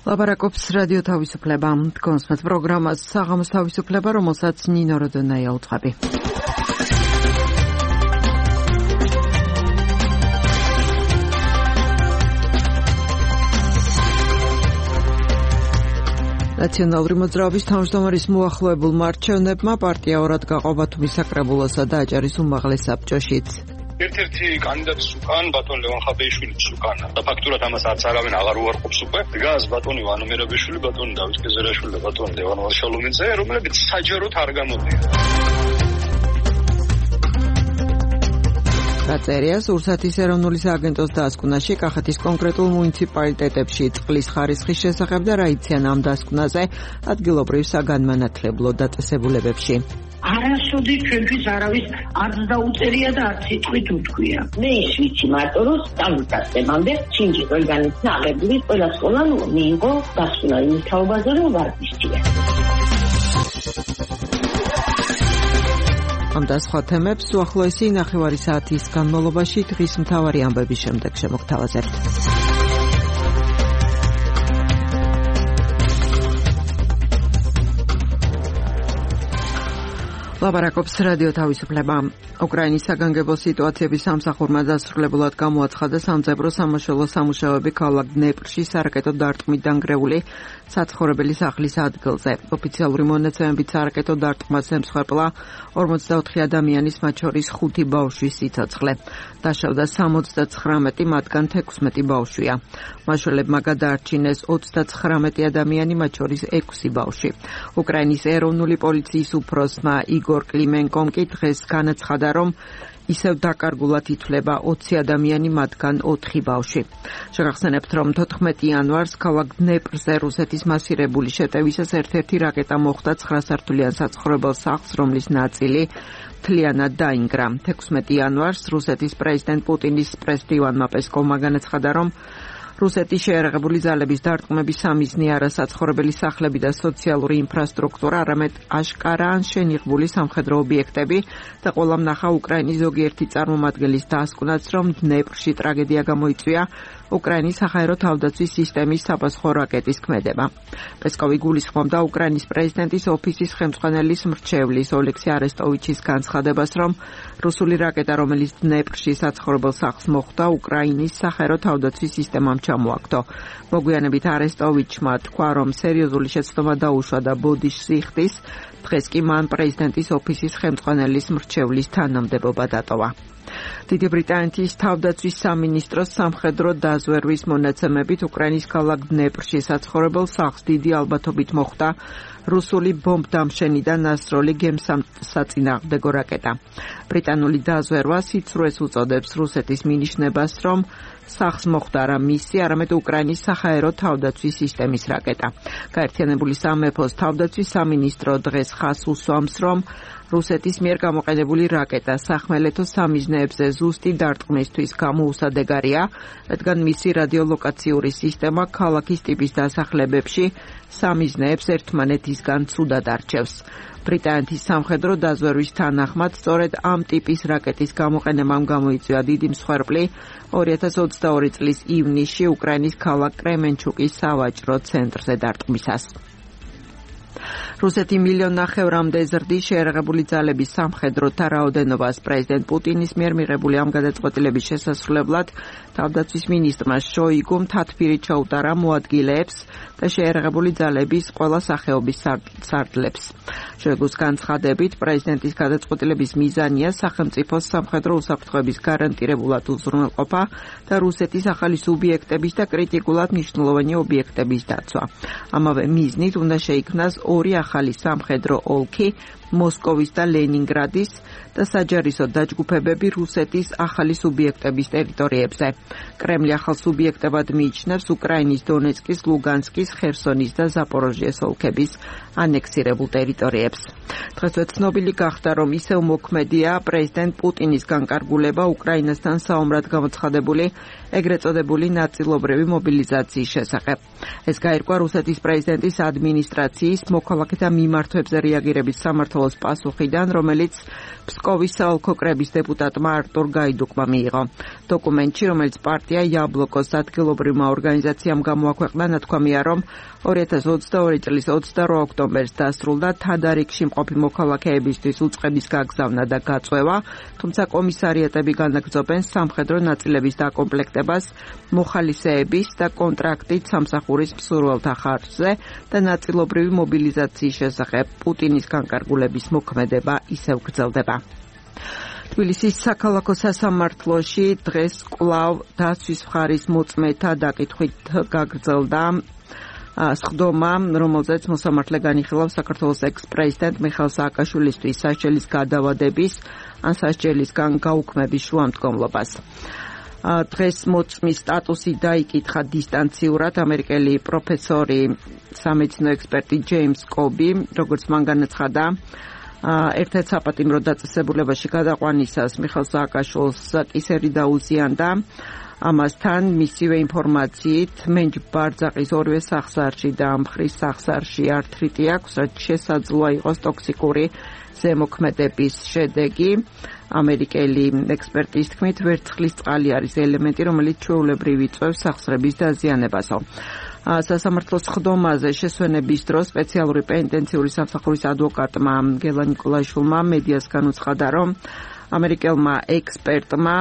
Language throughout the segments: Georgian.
ლაპარაკობს რადიო თავისუფლება. კონსმეთ პროგრამას საღამოს თავისუფლება, რომელსაც ნინო როდონაია უძღვები. ნაციონალური მოძრაობის თავმჯდომარის მოახლოებულმა არჩევნებმა პარტია ორად გაყობა თუ მისაკრებულოსა და აჭარის უმაღლეს საბჭოშიც. ერთ-ერთი კანდიდატის უკან ბატონ ლევან ხაბეიშვილის უკან და ფაქტურად ამას არც არავინ აღარ უარყოფს უკვე. დგას ბატონი ვანო მერაბიშვილი, ბატონი დავით კეზერაშვილი და ბატონი ლევან ვარშალომინძე, რომლებიც საჯაროდ არ გამოდიან. გაწერია რუსეთის ეროვნული სააგენტოს დასკვნაში კახეთის კონკრეტულ მუნიციპალიტეტებში წყლის ხარისხის შესახებ და რა იციან ამ დასკვნაზე ადგილობრივ საგანმანათლებლო დაწესებულებებში. არასოდეს ჩვენთვის არავის არც დაუწერია და არც სიტყვით უთქვია. მე ვიცი მარტო რომ სტანდარტებამდე ჩინჯი ორგანიზმი აღებული ყველა სკოლამ მიიღო დასკვნა იმის თაობაზე რომ ვარდისთია. ამ და სხვა თემებს უახლოესი ნახევარი საათის განმავლობაში დღის მთავარი ამბების შემდეგ შემოგთავაზებთ. ლაპარაკობს რადიო თავისუფლება. უკრაინის საგანგებო სიტუაციების სამსახურმა დასრულებულად გამოაცხადა სამძებრო სამაშველო სამუშაოები ქალაქ დნეპრში სარაკეტო დარტყმით დანგრეული საცხოვრებელი სახლის ადგილზე. ოფიციალური მონაცემებით სარაკეტო დარტყმას ემსხვერპლა 44 ადამიანის, მათ შორის 5 ბავშვის სიცოცხლე. დაშავდა 79, მათგან 16 ბავშვია. მაშველებმა გადაარჩინეს 39 ადამიანი, მათ შორის 6 ბავშვი. უკრაინის ეროვნული პოლიციის უფროსმა იგორ კლიმენკომ კი დღეს განაცხადა, რომ ისევ დაკარგულად ითვლება 20 ადამიანი, მათგან 4 ბავშვი. შეგახსენებთ, რომ 14 იანვარს ქალაქ დნეპრზე რუსეთის მასირებული შეტევისას ერთ-ერთი რაკეტა მოხვდა 9 სართულიან საცხოვრებელ სახლს, რომლის ნაწილი მთლიანად დაინგრა. 16 იანვარს რუსეთის პრეზიდენტ პუტინის პრესდივანმა პესკოვმა განაცხადა, რომ რუსეთის შეერაღებული ძალების დარტყმების სამიზნე არა საცხოვრებელი სახლები და სოციალური ინფრასტრუქტურა, არამედ აშკარა ან შენიღბული სამხედრო ობიექტები და ყველამ ნახა უკრაინის ზოგიერთი წარმომადგენლის დასკვნაც, რომ დნეპრში ტრაგედია გამოიწვია უკრაინის საჰაერო თავდაცვის სისტემის საფასხო რაკეტის ქმედება. პესკოვი გულისხმობდა უკრაინის პრეზიდენტის ოფისის ხელმძღვანელის მრჩევლის ოლექსი არესტოვიჩის განცხადებას, რომ რუსული რაკეტა, რომელიც დნეპრში საცხოვრებელ სახლს მოხვდა, უკრაინის საჰაერო თავდაცვის სისტემამ ჩამოაგდო. მოგვიანებით არესტოვიჩმა თქვა, რომ სერიოზული შეცდომა დაუშვა და ბოდიშს იხდის. დღეს კი მან პრეზიდენტის ოფისის ხელმძღვანელის მრჩევლის თანამდებობა დატოვა. დიდი ბრიტანეთის თავდაცვის სამინისტროს სამხედრო დაზვერვის მონაცემებით უკრაინის ქალაქ დნეპრში საცხოვრებელ სახლს დიდი ალბათობით მოხვდა რუსული ბომბდამშენიდან ასროლი გემსაწინააღმდეგო რაკეტა. ბრიტანული დაზვერვა სიცრუეს უწოდებს რუსეთის მინიშნებას, რომ სახლს მოხვდა არა მისი, არამედ უკრაინის საჰაერო თავდაცვის სისტემის რაკეტა. გაერთიანებული სამეფოს თავდაცვის სამინისტრო დღეს ხაზს უსვამს, რომ რუსეთის მიერ გამოყენებული რაკეტა სახმელეთო სამიზნეებზე ზუსტი დარტყმისთვის გამოუსადეგარია, რადგან მისი რადიოლოკაციური სისტემა ქალაქის ტიპის დასახლებებში სამიზნეებს ერთმანეთისგან ცუდად არჩევს. ბრიტანეთის სამხედრო დაზვერვის თანახმად, სწორედ ამ ტიპის რაკეტის გამოყენებამ გამოიწვია დიდი მსხვერპლი 2022 წლის ივნისში უკრაინის ქალაქ კრემენჩუკის სავაჭრო ცენტრზე დარტყმისას. რუსეთი 1,5 მილიონამდე ზრდის შეერაღებული ძალების სამხედროთა რაოდენობას პრეზიდენტ პუტინის მიერ მიღებული ამ გადაწყვეტილების შესასრულებლად თავდაცვის მინისტრმა შოიგუმ თათბირი ჩაუტარა მოადგილეებს და შეერაღებული ძალების ყველა სახეობის სარდლებს. შოიგუს განცხადებით, პრეზიდენტის გადაწყვეტილების მიზანია სახელმწიფოს სამხედრო უსაფრთხოების გარანტირებულად უზრუნველყოფა და რუსეთის ახალი სუბიექტების და კრიტიკულად მნიშვნელოვანი ობიექტების დაცვა. ამავე მიზნით უნდა შეიქმნას ორი ახალი სამხედრო ოლქი, მოსკოვის და ლენინგრადის და საჯარისო დაჯგუფებები რუსეთის ახალი სუბიექტების ტერიტორიებზე. კრემლი ახალ სუბიექტებად მიიჩნევს უკრაინის დონეცკის, ლუგანსკის, ხერსონის და ზაპოროჟიეს ოლქების ანექსირებულ ტერიტორიებს. დღესვე ცნობილი გახდა, რომ ისევ მოქმედია პრეზიდენტ პუტინის განკარგულება უკრაინასთან საომრად გამოცხადებული ეგრეთ წოდებული ნაწილობრივი მობილიზაციის შესახებ. ეს გაირკვა რუსეთის პრეზიდენტის ადმინისტრაციის მოქალაქეთა მიმართვებზე რეაგირების სამართალ საქართველოს პასუხიდან, რომელიც ფსკოვის საოლქო კრების დეპუტატმა არტურ გაიდუკმა მიიღო. დოკუმენტში, რომელიც პარტია იაბლოკოს ადგილობრივმა ორგანიზაციამ გამოაქვეყნა, ნათქვამია, რომ 2022 წლის 28 ოქტომბერს დასრულდა თადარიგში მყოფი მოქალაქეებისთვის უწყების გაგზავნა და გაწვევა, თუმცა კომისარიატები განაგრძობენ სამხედრო ნაწილების დაკომპლექტებას მოხალისეების და კონტრაქტით სამსახურის მსურველთა ხარჯზე და ნაწილობრივი მობილიზაციის შესახებ. პუტინის განკარგულების მოქმედება ისევ გრძელდება. თბილისის საქალაქო სასამართლოში დღეს კვლავ დაცვის მხარის მოწმეთა დაკითხვით გაგრძელდა სხდომა, რომელზეც მოსამართლე განიხილავს საქართველოს ექს-პრეზიდენტ მიხეილ სააკაშვილისთვის სასჯელის გადავადების ან სასჯელისგან გაუქმების შუამდგომლობას. დღეს მოწმის სტატუსი დაიკითხა დისტანციურად ამერიკელი პროფესორი სამედიცინო ექსპერტი ჯეიმს კობი, როგორც მან განაცხადა, ერთ-ერთ საპატიმრო დაწესებულებაში გადაყვანისას მიხეილ სააკაშვილს კისერი დაუზიანდა. ამასთან მისივე ინფორმაციით მენჯ ბარძაყის ორივე სახსარში და ამხრის სახსარში ართრიტი აქვს, რაც შესაძლოა იყოს ტოქსიკური ზემოქმედების შედეგი. ამერიკელი ექსპერტის თქმით, ვერცხლის წყალი არის ელემენტი, რომელიც ჩვეულებრივ იწვევს სახსრების დაზიანებასო. სასამართლოს სხდომაზე შესვენების დროს სპეციალური პენიტენციური სამსახურის ადვოკატმა გელა ნიკოლაშვილმა მედიას განუცხადა, რომ ამერიკელმა ექსპერტმა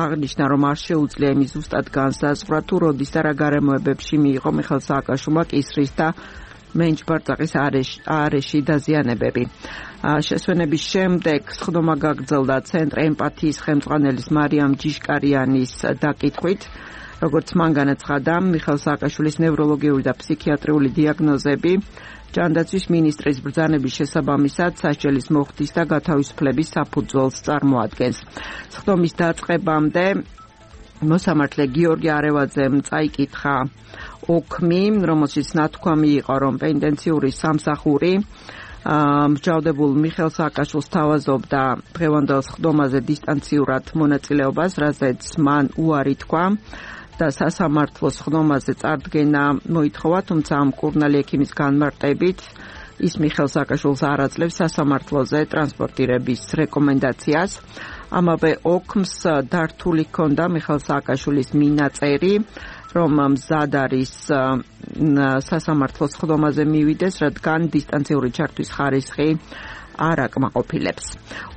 აღნიშნა, რომ არ შეუძლია იმის ზუსტად განსაზღვრა, თუ როდის და რა გარემოებებში მიიღო მიხეილ სააკაშვილმა კისრის და მენჯ ბარძაყის არეში დაზიანებები. შესვენების შემდეგ სხდომა გაგრძელდა ცენტრ ემპათიის ხელმძღვანელის მარიამ ჯიშკარიანის დაკითხვით. როგორც მან განაცხადა, მიხეილ სააკაშვილის ნევროლოგიური და ფსიქიატრიული დიაგნოზები ჯანდაცვის მინისტრის ბრძანების შესაბამისად სასჯელის მოხდის და გათავისუფლების საფუძველს წარმოადგენს. სხდომის დაწყებამდე მოსამართლე გიორგი არევაძემ წაიკითხა ოქმი, რომელშიც ნათქვამი იყო, რომ პენიტენციური სამსახური მსჯავრდებულ მიხეილ სააკაშვილს თავაზობდა დღევანდელ სხდომაზე დისტანციურად მონაწილეობას, რაზეც მან უარი თქვა და სასამართლოს სხდომაზე წარდგენა მოითხოვა, თუმცა ამ მკურნალი ექიმის განმარტებით ის მიხეილ სააკაშვილს არ აძლევს სასამართლოზე ტრანსპორტირების რეკომენდაციას. ამავე ოქმს დართული ჰქონდა მიხეილ სააკაშვილის მინაწერი, რომ მზად არის სასამართლოს სხდომაზე მივიდეს, რადგან დისტანციური ჩართვის ხარისხი არ აკმაყოფილებს.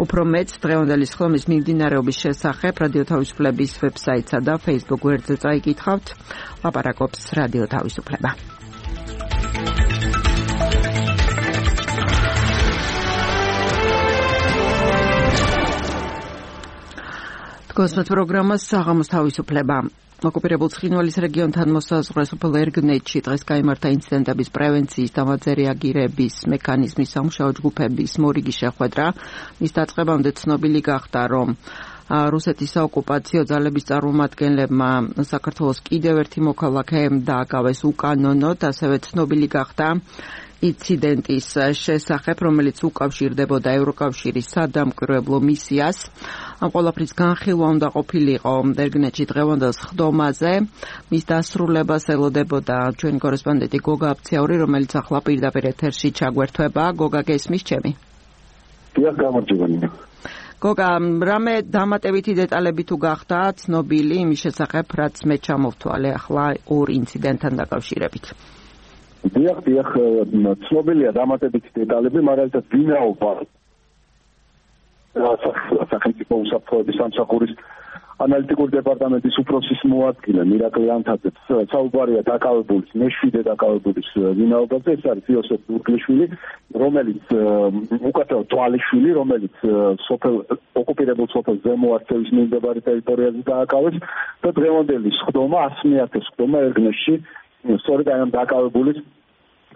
უფრო მეც დღევანდელი სხდომის მიმდინარეობის შესახებ რადიო თავისუფლების ვებსაიტსა და Facebook გვერდზე წაიკითხავთ. ლაპარაკობს რადიო თავისუფლება. დგოსმეთ პროგრამას საღამოს თავისუფლება. ოკუპირებულ ცხინვალის რეგიონთან მოსაზღვრე სოფელ ერგნეთში დღეს გაიმართა ინციდენტების პრევენციის და მათზე რეაგირების მექანიზმის სამუშაო ჯგუფების მორიგი შეხვედრა. მის დაწყებამდე ცნობილი გახდა, რომ რუსეთის საოკუპაციო ძალების წარმომადგენლებმა საქართველოს კიდევ ერთი მოქალაქე დააკავეს უკანონოდ, ასევე ცნობილი გახდა ინციდენტის შესახებ, რომელიც უკავშირდებოდა ევროკავშირის სადამკვირვებლო მისიას. ამ ყველაფრის განხილვა უნდა ყოფილიყო ერგნეთში დღევანდელ სხდომაზე. მის დასრულებას ელოდებოდა ჩვენი კორესპონდენტი გოგა აფციაური, რომელიც ახლა პირდაპირ ეთერში ჩაგვერთვება. გოგა, გესმის ჩემი? დიახ, გამარჯვება. გოგა, რამე დამატებითი დეტალები თუ გახდა ცნობილი იმის შესახებ, რაც მე ჩამოვთვალე ახლა ორ ინციდენტთან დაკავშირებით? დიახ, ცნობილია დამატებითი დეტალები, მაგრამ ეს ვინაობა სახელმწიფო უსაფრთხოების სამსახურის ანალიტიკური დეპარტამენტის უფროსის მოადგილე მირაკლი ანთაძე საუბარია დაკავებულის, მეშვიდე დაკავებულის ვინაობაზე. ეს არის იოსებ ბურგლიშვილი, რომელიც უკეთო თვალიშვილი, რომელიც ოკუპირებულ სოფელ ზემო არწევის მიმდებარე ტერიტორიაზე დააკავეს და დღევანდელი სხდომა 100-ე სხდომა ერგნეთში სწორედ აი ამ დაკავებულის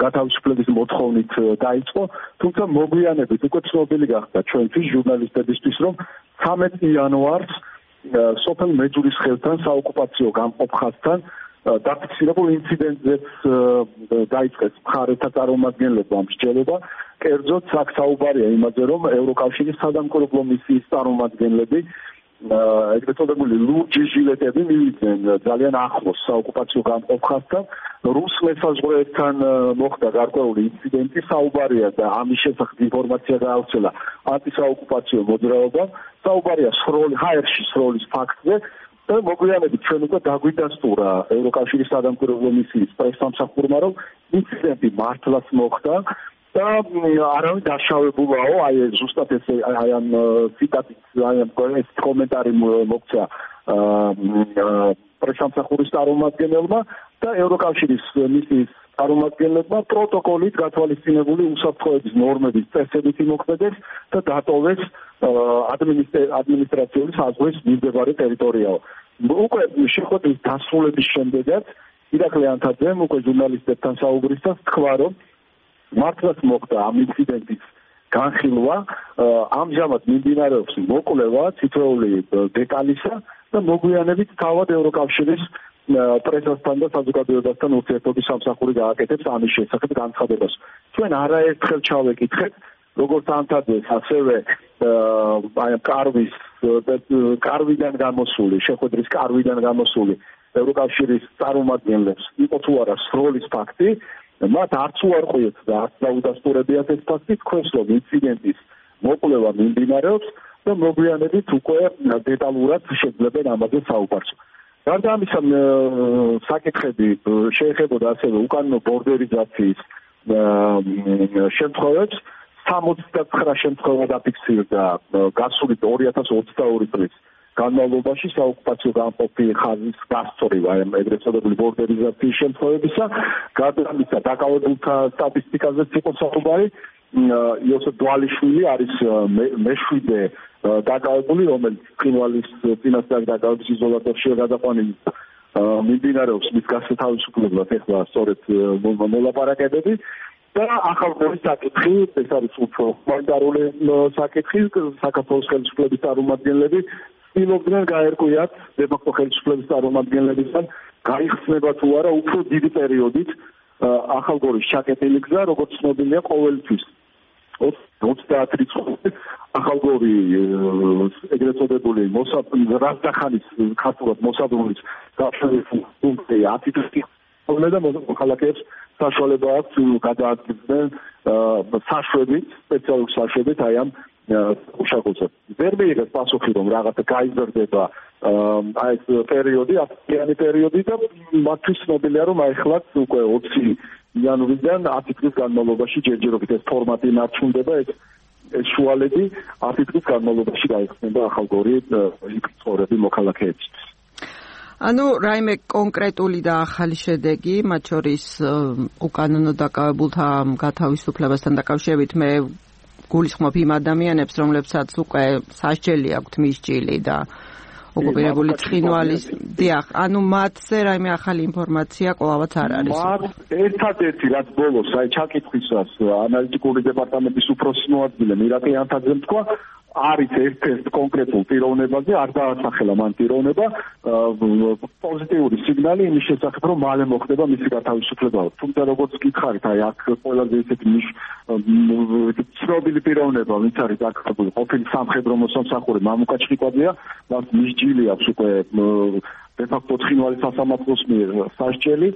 გათავისუფლების მოთხოვნით დაიწყო, თუმცა მოგვიანებით უკვე ცნობილი გახდა ჩვენთვის ჟურნალისტებისთვის, რომ 13 იანვარს სოფელ მეჯურის ხელთან საოკუპაციო გამყოფხასთან დაფიქსირებულ ინციდენტზეც დაიწყეს მხარეთა წარმომადგენლებმა მსჯელობა. კერძოდ, აქ საუბარია იმაზე, რომ ევროკავშირის სადამკვირვებლო მისიის წარმომადგენლები ეგრეთ წოდებული ლურჯი ჟილეტები მივიდნენ ძალიან ახლოს საოკუპაციო გამყოფხასთან. რუს მესაზღვრეებთან მოხდა გარკვეული ინციდენტი, საუბარია და ამის შესახებ ინფორმაცია გაავრცელა ანტისაოკუპაციო მოძრაობამ. საუბარია ჰაერში სროლის ფაქტზე და მოგვიანებით ჩვენ უკვე დაგვიდასტურა ევროკავშირის სადამკვირვებლო მისიის პრესსამსახურმა, რომ ინციდენტი მართლაც მოხდა და არავინ დაშავებულაო, აი ზუსტად ეს აი ამ ციტატით, აი ამ კომენტარი მოქცა პრესსამსახურის წარმომადგენელმა და ევროკავშირის მისიის წარმომადგენლებმა პროტოკოლით გათვალისწინებული უსაფრთხოების ნორმების წესებით იმოქმედეს და დატოვეს ადმინისტრაციული საზღვრის მიმდებარე ტერიტორიაო. უკვე შეხვედრის დასრულების შემდეგაც ირაკლი ანთაძემ უკვე ჟურნალისტებთან საუბრისას თქვა, რომ მართლაც მოხდა ამ ინციდენტის განხილვა, ამჟამად მიმდინარეობს მოკვლევა თითოეული დეტალისა და მოგვიანებით თავად ევროკავშირის პრესასთან და საზოგადოებასთან ურთიერთობის სამსახური გააკეთებს ამის შესახებ განცხადებას. ჩვენ არაერთხელ ჩავეკითხეთ, როგორც ანთაძეს, ასევე აი კარვიდან გამოსული, შეხვედრის კარვიდან გამოსული ევროკავშირის წარმომადგენლებს იყო თუ არა სროლის ფაქტი, მათ არც უარყვიეთ და არც დაუდასტურებიათ ეს ფაქტი, თქვენს რომ ინციდენტის მოკვლევა მიმდინარეობს და მოგვიანებით უკვე დეტალურად შეძლებენ ამაზე საუბარს. გარდა ამისა, საკითხები შეეხებოდა ასევე უკანონო ბორდერიზაციის შემთხვევებს. 69 შემთხვევა დაფიქსირდა გასული 2022 წლის განმავლობაში საოკუპაციო გამყოფი ხაზის გასწორება, ეგრეთ წოდებული ბორდერიზაციის შემთხვევებისა. გარდა ამისა, დაკავებულთა სტატისტიკაზეც იყო საუბარი. იოსებ დვალიშვილი არის მეშვიდე დაკავებული, რომელიც ცხინვალის წინასწარ დაკავების იზოლატორშია გადაყვანილი. მიმდინარეობს მის გასათავისუფლებლად ეხლა სწორედ მოლაპარაკებები. და ახალგორის საკითხი, ეს არის უფრო ჰუმანიტარული საკითხი, საქართველოს ხელისუფლების წარმომადგენლები ცდილობდნენ გაერკვიათ დე-ფაქტო ხელისუფლების წარმომადგენლებისგან გაიხსნება თუ არა უფრო დიდი პერიოდით ახალგორის ჩაკეტილი გზა, როგორც ცნობილია ყოველთვის 30 რიცხვი ახალგორი ეგრეთ წოდებული რაზდახანის ქართულად მოსაბრუნვის გაფშვის პუნქტი 10 დღის და მოქალაქეებს საშუალება აქვს გადაადგილდნენ საშვებით, სპეციალურ საშვებით აი ამ უშაკულზე. ვერ მიიღეს პასუხი, რომ რაღაცა გაიზრდება აი ეს პერიოდი, აპრილიანი პერიოდი და მათთვის ცნობილია, რომ აი ხლაც უკვე 20 იანვრიდან 10 დღის განმავლობაში ჯერჯერობით ეს ფორმატი ნარჩუნდება, ეს შუალედი 10 დღის განმავლობაში გაიხსნება ახალგორი ცხოვრები მოქალაქეებისთვის. ანუ რაიმე კონკრეტული და ახალი შედეგი, მათ შორის უკანონო დაკავებულთა გათავისუფლებასთან დაკავშირებით მე გულისხმობ იმ ადამიანებს, რომლებსაც უკვე სასჯელი აქვთ მისჯილი და ოკუპირებული ცხინვალის, დიახ, ანუ მათზე რაიმე ახალი ინფორმაცია კვლავაც არ არის. ერთადერთი რაც ბოლოს აი ჩაკითხვისას ანალიტიკური დეპარტამენტის უფროსის მოადგილემ ირაკლი ანთაძემ თქვა, არის ერთ-ერთ კონკრეტულ პიროვნებაზე, არ დაასახელა მან პიროვნება, პოზიტიური სიგნალი იმის შესახებ, რომ მალე მოხდება მისი გათავისუფლება. თუმცა როგორც გითხარით, აი აქ ყველაზე ისეთი ცნობილი პიროვნება, ვინც არის დაკავებული ყოფილი სამხედრო მოსამსახური მამუკა ჩხიკვაძეა, მას მისჯილი აქვს უკვე დე-ფაქტო ცხინვალის სასამართლოს მიერ სასჯელი.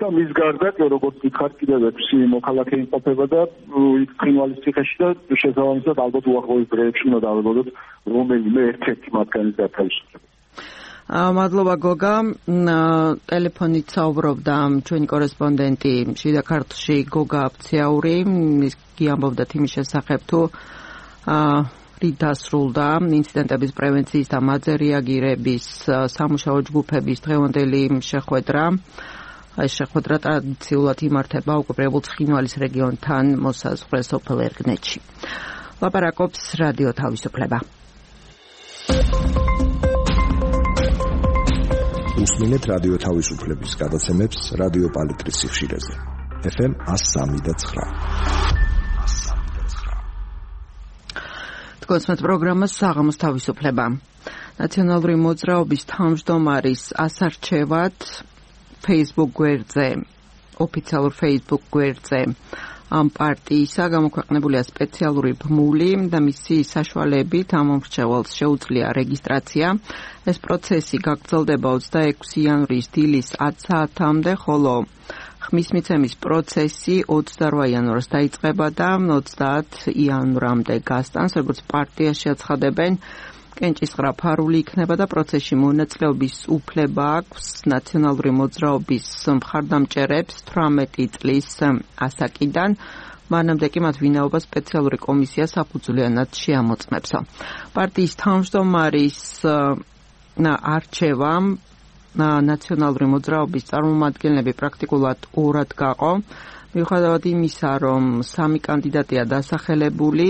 და მის გარდა, როგორც გითხარით, კიდევ 6 მოქალაქე იმყოფება და იქ ცხინვალის ციხეში და შესაბამისად ალბათ უახლოეს დღეებში უნდა დავებოდოთ რომელიმე ერთ-ერთი მათგანის გათავისუფლება. მადლობა გოგა, ტელეფონით საუბრობდა ჩვენი კორესპონდენტი შიდა ქართლში გოგა აფციაური, ის ამბობდა იმის შესახებ თუ რით დასრულდა ინციდენტების პრევენციის და მათზე რეაგირების სამუშაო ჯგუფების დღევანდელი შეხვედრა. ეს შეხვედრა ტრადიციულად იმართება ოკუპირებულ ცხინვალის რეგიონთან მოსაზღვრე სოფელ ერგნეთში. ლაპარაკობს რადიო თავისუფლება. უსმენთ რადიო თავისუფლების გადაცემებს რადიო პალიტრის სიხშირეზე. FM 103.9. თქვენს პროგრამას საღამოს თავისუფლება. ნაციონალური მოძრაობის თავმჯდომარის ასარჩევად Facebook გვერდზე, ოფიციალურ Facebook გვერდზე ამ პარტიისა გამოქვეყნებულია სპეციალური ბმული და მისი საშუალებით ამ მომრჩეველს შეუძლია რეგისტრაცია. ეს პროცესი გაგრძელდება 26 იანვრის დილის 10 საათამდე, ხოლო ხმის მიცემის პროცესი 28 იანვარს დაიწყება და 30 იანვრამდე გასტანს, როგორც პარტიაში აცხადებენ. კენჭისყრა ფარული იქნება და პროცესში მონაწილეობის უფლება აქვს ნაციონალური მოძრაობის მხარდამჭერებს 18 წლის ასაკიდან. მანამდე კი მათ ვინაობა სპეციალური კომისია საფუძვლიანად შეამოწმებსო. პარტიის თავმჯდომარის არჩევამ ნაციონალური მოძრაობის წარმომადგენლები პრაქტიკულად ორად გაყო. მიუხედავად იმისა, რომ 3 კანდიდატია დასახელებული,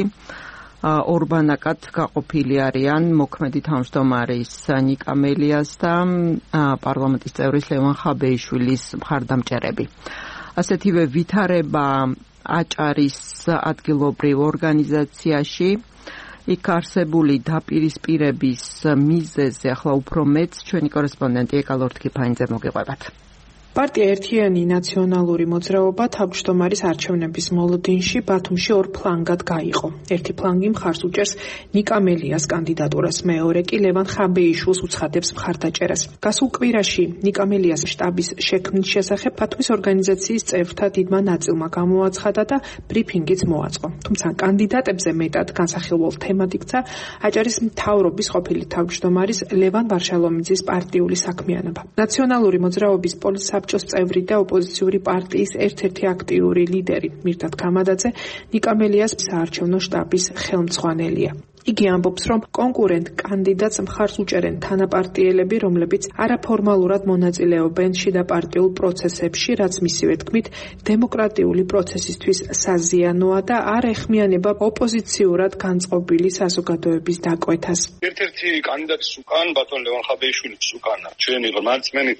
ორბანაკად გაყოფილი არიან მოქმედი თავმჯდომარის ნიკა მელიას და პარლამენტის წევრის ლევან ხაბეიშვილის მხარდამჭერები. ასეთივე ვითარება აჭარის ადგილობრივ ორგანიზაციაში იქ არსებული დაპირისპირების მიზეზზე ახლა უფრო მეც ჩვენი კორესპონდენტი ეკალორთ ქიფაინძე მოგიყვებათ. პარტია ერთიანი ნაციონალური მოძრაობა თავმჯდომარის არჩევნების მოლოდინში ბათუმში ორ ფლანგად გაიყო. ერთი ფლანგი მხარს უჭერს ნიკა მელიას კანდიდატურას, მეორე კი ლევან ხაბეიშვილს უცხადებს მხარდაჭერას. გასულ კვირაში ნიკა მელიას შტაბის შექმნის შესახებ ბათუმის ორგანიზაციის წევრთა დიდმა ნაწილმა გამოაცხადა და ბრიფინგიც მოაწყო. თუმცა კანდიდატებზე მეტად განსახილველ თემად იქცა აჭარის მთავრობის ყოფილი თავმჯდომარის ლევან ვარშალომიძის პარტიული საქმიანობა. ნაციონალური მოძრაობის პოლიტსაბჭოს წევრი და ოპოზიციური პარტიის ერთ-ერთი აქტიური ლიდერი მირდატ ქამადაძე ნიკა მელიას საარჩევნო შტაბის ხელმძღვანელია. იგი ამბობს, რომ კონკურენტ კანდიდატს მხარს უჭერენ თანაპარტიელები, რომლებიც არაფორმალურად მონაწილეობენ შიდაპარტიულ პროცესებში, რაც მისივე თქმით დემოკრატიული პროცესისთვის საზიანოა და არ ეხმიანება ოპოზიციურად განწყობილი საზოგადოების დაკვეთას. ერთ-ერთი კანდიდატის უკან ბატონ ლევან ხაბეიშვილის უკან ჩვენი ღმერთმენი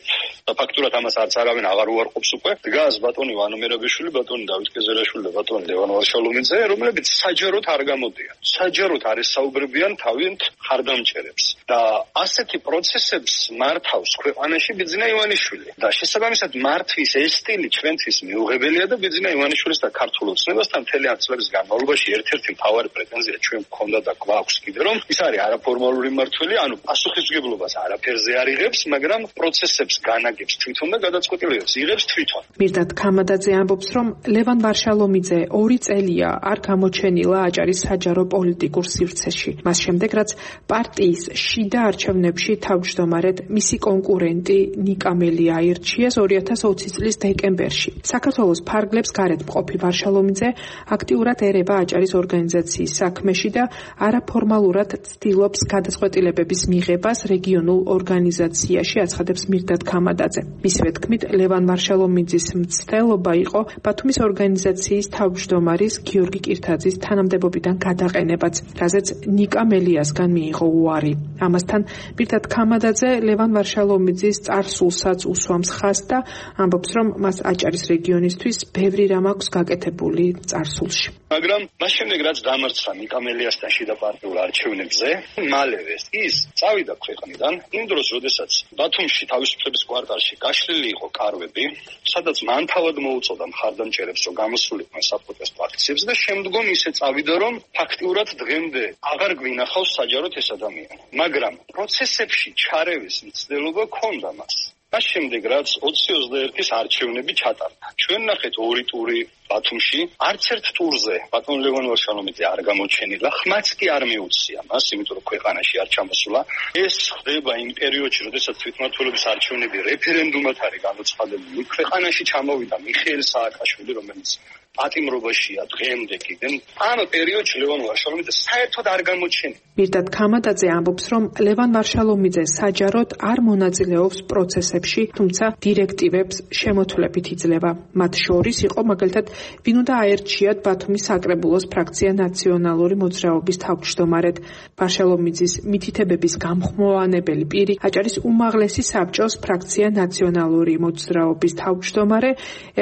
და ფაქტურად ამას არც არავინ აღარ უარყოფს უკვე. დგას ბატონ ივანო მერაბიშვილი, ბატონ დავით კეზერაშვილი და ბატონ ლევან ვარშალომიძე, რომლებიც საჯაროდ არ გამოდიან. საჯაროდ არის საუბრებიან თავიანთ ხარდამჭერებს და ასეთი პროცესებს მართავს ქვეყანაში ბიძინა ივანიშვილი და შესაბამისად მართვის ეს სტილი ჩვენთვის მიუღებელია და ბიძინა ივანიშვილის და ქართულ ოცნებასთან მთელი წლების განმავლობაში ერთ-ერთი მთავარი პრეტენზია ჩვენ გქონდა და გვაქვს კიდე, რომ ის არის არაფორმალური მმართველი, ანუ პასუხისმგებლობას არაფერზე არ იღებს, მაგრამ პროცესებს განაგებს თვითონ და გადაწყვეტილებებს იღებს თვითონ. მირდატ ქამადაძე ამბობს, რომ ლევან ვარშალომიძე 2 წელია არ გამოჩენილა აჭარის საჯარო პოლიტიკურ სივრცეში. მას შემდეგ, რაც პარტიის შიდა არჩევნებში თავმჯდომარედ მისი კონკურენტი ნიკა მელია აირჩიეს 2020 წლის დეკემბერში. საქართველოს ფარგლებს გარეთ მყოფი ვარშალომიძე აქტიურად ერება აჭარის ორგანიზაციის საქმეში და არაფორმალურად ცდილობს გადაწყვეტილებების მიღებას რეგიონულ ორგანიზაციაში, აცხადებს მირდატ ქამადაძე. მისივე თქმით, ლევან ვარშალომიძის მცდელობა იყო ბათუმის ორგანიზაციის თავმჯდომარის გიორგი კირთაძის თანამდებობიდან გადაყენებაც, რაზეც ნიკა მელიასგან მიიღო უარი. ამასთან მირდატ ქამადაძე ლევან ვარშალომიძის წარსულსაც უსვამს ხაზს და ამბობს, რომ მას აჭარის რეგიონისთვის ბევრი რამ აქვს გაკეთებული წარსულში. მაგრამ მას შემდეგ რაც დამარცხა ნიკა მელიასთან შიდა პარტიულ არჩევნებზე, მალევე ის წავიდა ქვეყნიდან. იმ დროს, როდესაც ბათუმში თავისუფლების კვარტალში გაშლილი იყო კარვები, სადაც მან თავად მოუწოდა მხარდამჭერებს, რომ გამოსულიყვნენ საპროტესტო აქციებს და შემდგომ ისე წავიდა, რომ ფაქტიურად დღემდე აღარ გვინახავს საჯაროდ ეს ადამიანი. მაგრამ პროცესებში ჩარევის მცდელობა ჰქონდა მას. მას შემდეგ რაც 2021-ის არჩევნები ჩატარდა. ჩვენ ნახეთ 2 ტური ბათუმში, არც ერთ ტურზე ბატონ ლევან ვარშალომიძე არ გამოჩენილა, ხმაც კი არ მიუცია მას, იმიტომ რომ ქვეყანაში არ ჩამოსულა. ეს ხდება იმ პერიოდში, როდესაც თვითმმართველობის არჩევნები რეფერენდუმად არის გამოცხადებული. ქვეყანაში ჩამოვიდა მიხეილ სააკაშვილი, რომელიც პატიმრობაშია დღემდე კიდე. ამ პერიოდში ლევან ვარშალომიძე საერთოდ არ გამოჩენილა. მირდატ ქამადაძე ამბობს, რომ ლევან ვარშალომიძე საჯაროდ არ მონაწილეობს პროცესებში, თუმცა დირექტივებს შემოთვლებით იძლევა. მათ შორის იყო მაგალითად ვინ უნდა აერჩიათ ბათუმის საკრებულოს ფრაქცია ნაციონალური მოძრაობის თავმჯდომარედ. ვარშალომიძის მითითებების გამხმოვანებელი პირი აჭარის უმაღლესი საბჭოს ფრაქცია ნაციონალური მოძრაობის თავმჯდომარე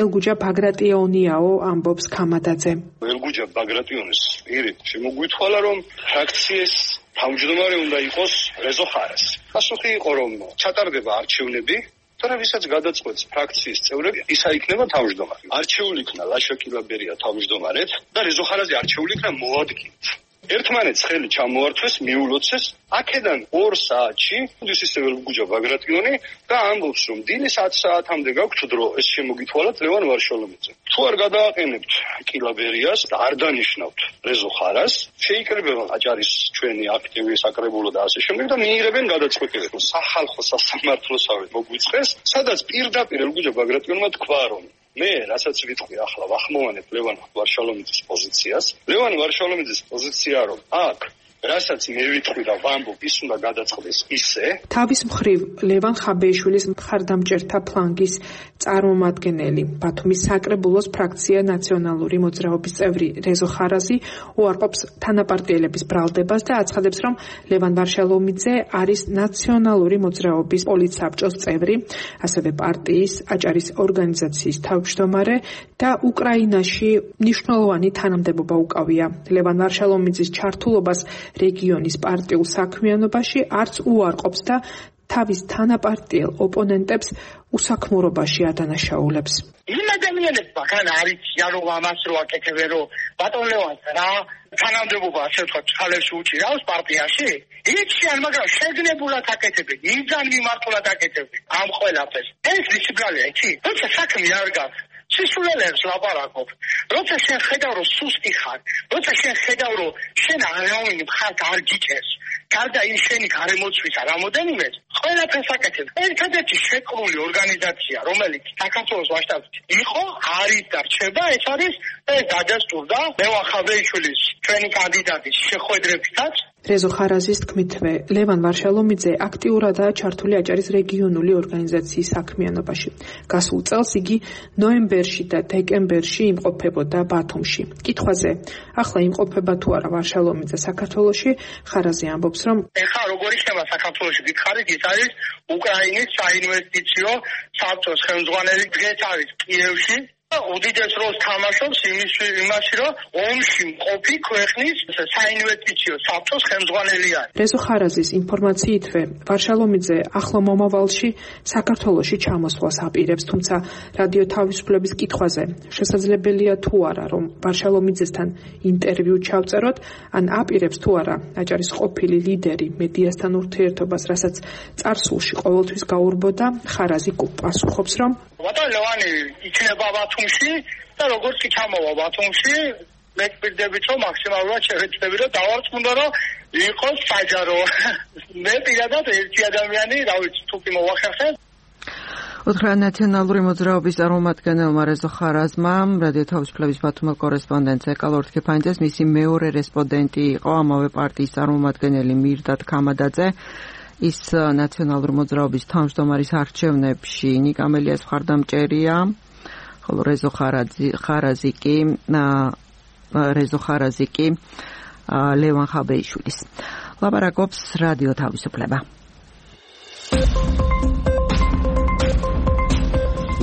ელგუჯა ბაგრატიონიაო, ამბობს ქამადაძე. ელგუჯა ბაგრატიონის პირი შემოგვითხვალა, რომ ფრაქციის თავმჯდომარე უნდა იყოს რეზო ხარას. პასუხი იყო, რომ ჩატარდება არჩევნები თორე ვისაც გადაწყვეტს ფრაქციის წევრები, ისა იქნება თავმჯდომარე. არჩეული იქნა ლაშა კილაბერია თავმჯდომარედ და რეზო ხარაზი არჩეული იქნა მოადგილედ. ერთმანეთს ხელი ჩამოართვეს, მიულოცეს, აქედან 2 საათში ისევ გუჯა ბაგრატიონი და ამბობს, რომ დილის 10 საათამდე გაქვთ დრო, ეს შემოგითვალათ ლევან ვარშალომიძე. თუ არ გადააყენებთ კილაბერიას და არ დანიშნავთ რეზო ხარას, შეიკრიბება აჭარის ჩვენი აქტივი საკრებულო და ასე შემდეგ და მიიღებენ გადაწყვეტილებას, რომ სახალხო სასამართლოსავე მოგვიწყეს, სადაც პირდაპირ გუჯა ბაგრატიონმა თქვა, რომ მე რასაც ვიტყვი ახლა ვახმოვანებ ლევან ვარშალომიძის პოზიციას. ლევან ვარშალომიძის პოზიცია რომ აქ რასაც მე ვიტყვი და ვამბობ, ის უნდა გადაწყდეს ისე. თავის მხრივ ლევან ხაბეიშვილის მხარდამჭერთა ფლანგის წარმომადგენელი, ბათუმის საკრებულოს ფრაქცია ნაციონალური მოძრაობის წევრი რეზო ხარაზი უარყოფს თანაპარტიელების ბრალდებას და აცხადებს, რომ ლევან ვარშალომიძე არის ნაციონალური მოძრაობის პოლიტსაბჭოს წევრი, ასევე პარტიის აჭარის ორგანიზაციის თავმჯდომარე და უკრაინაში მნიშვნელოვანი თანამდებობა უკავია. ლევან ვარშალომიძის ჩართულობას რეგიონის პარტიულ საქმიანობაში არც უარყოფს და თავის თანაპარტიელ ოპონენტებს უსაქმურობაში ადანაშაულებს. იმ ადამიანებმა გან არიციან რომ ამას რო აკეთებენ რომ ბატონ ლევანს რა თანამდებობა ასე ვთქვათ ხალხში უჭირავს პარტიაში? იციან, მაგრამ შეგნებულად აკეთებენ, იძან მიმართულად აკეთებენ ამ ყველაფერს. ეს ვიცი, იცი? როცა საქმე არ გაქვს სისულელებს ლაპარაკობ. როცა შენ ხედავ რომ სუსტი ხარ, როცა შენ ხედავ რომ შენ არაუმენი ხალხ არ გიჭერს, გარდა იმ შენი გარემოცვისა რამოდენიმე, ყველაფერს აკეთებ. ერთადერთი შეკრული ორგანიზაცია, რომელიც საქართველოს მასშტაბით იყო, არის და რჩება, ეს არის დადასტურდა ლევან ხაბეიშვილის ჩვენი კანდიდატის შეხვედრებითაც. რეზო ხარაზის თქმითვე, ლევან ვარშალომიძე აქტიურადაა ჩართული აჭარის რეგიონული ორგანიზაციის საქმიანობაში. გასულ წელს იგი ნოემბერში და დეკემბერში იმყოფებოდა ბათუმში. კითხვაზე, ახლა იმყოფება თუ არა ვარშალომიძე საქართველოში, ხარაზი ამბობს, რომ ეხლა როგორ იქნება საქართველოში გითხარით, ის არის უკრაინის საინვესტიციო საბჭოს ხელმძღვანელი, დღეს არის კიევში. უდიდეს როლს თამაშობს იმაში, რომ ომში მყოფი ქვეყნის საინვესტიციო საბჭოს ხელმძღვანელია. რეზო ხარაზის ინფორმაციითვე, ვარშალომიძე ახლო მომავალში საქართველოში ჩამოსვლას აპირებს, თუმცა რადიო თავისუფლების კითხვაზე, შესაძლებელია თუ არა, რომ ვარშალომიძესთან ინტერვიუ ჩავწეროთ, ან აპირებს თუ არა აჭარის ყოფილი ლიდერი მედიასთან ურთიერთობას, რასაც წარსულში ყოველთვის გაურბოდა, ხარაზი პასუხობს, რომ ბატონ ლევანი იქნება ბათუმში და როგორც კი ჩამოვა ბათუმში, მე ვფიქრობ, რომ მაქსიმალურად შევეცდები, რომ დავარწმუნდო, რომ იყოს საჯარო. მე პირადად ერთი ადამიანი, რა ვიცი, თუ კი მოვახერხე. უთხრა ნაციონალური მოძრაობის წარმომადგენელმა რეზო ხარაზმა რადიო თავისუფლების ბათუმელ კორესპონდენტს ეკალორ თქეფანიძეს მისი მეორე რესპონდენტი იყო ამავე პარტიის წარმომადგენელი მირდატ ქამადაძე. ის ნაციონალური მოძრაობის თავმჯდომარის არჩევნებში ნიკამელიას მხარდამჭერია, ხოლო რეზო ხარაზი კი ლევან ხაბეიშვილის. ლაპარაკობს რადიო თავისუფლება.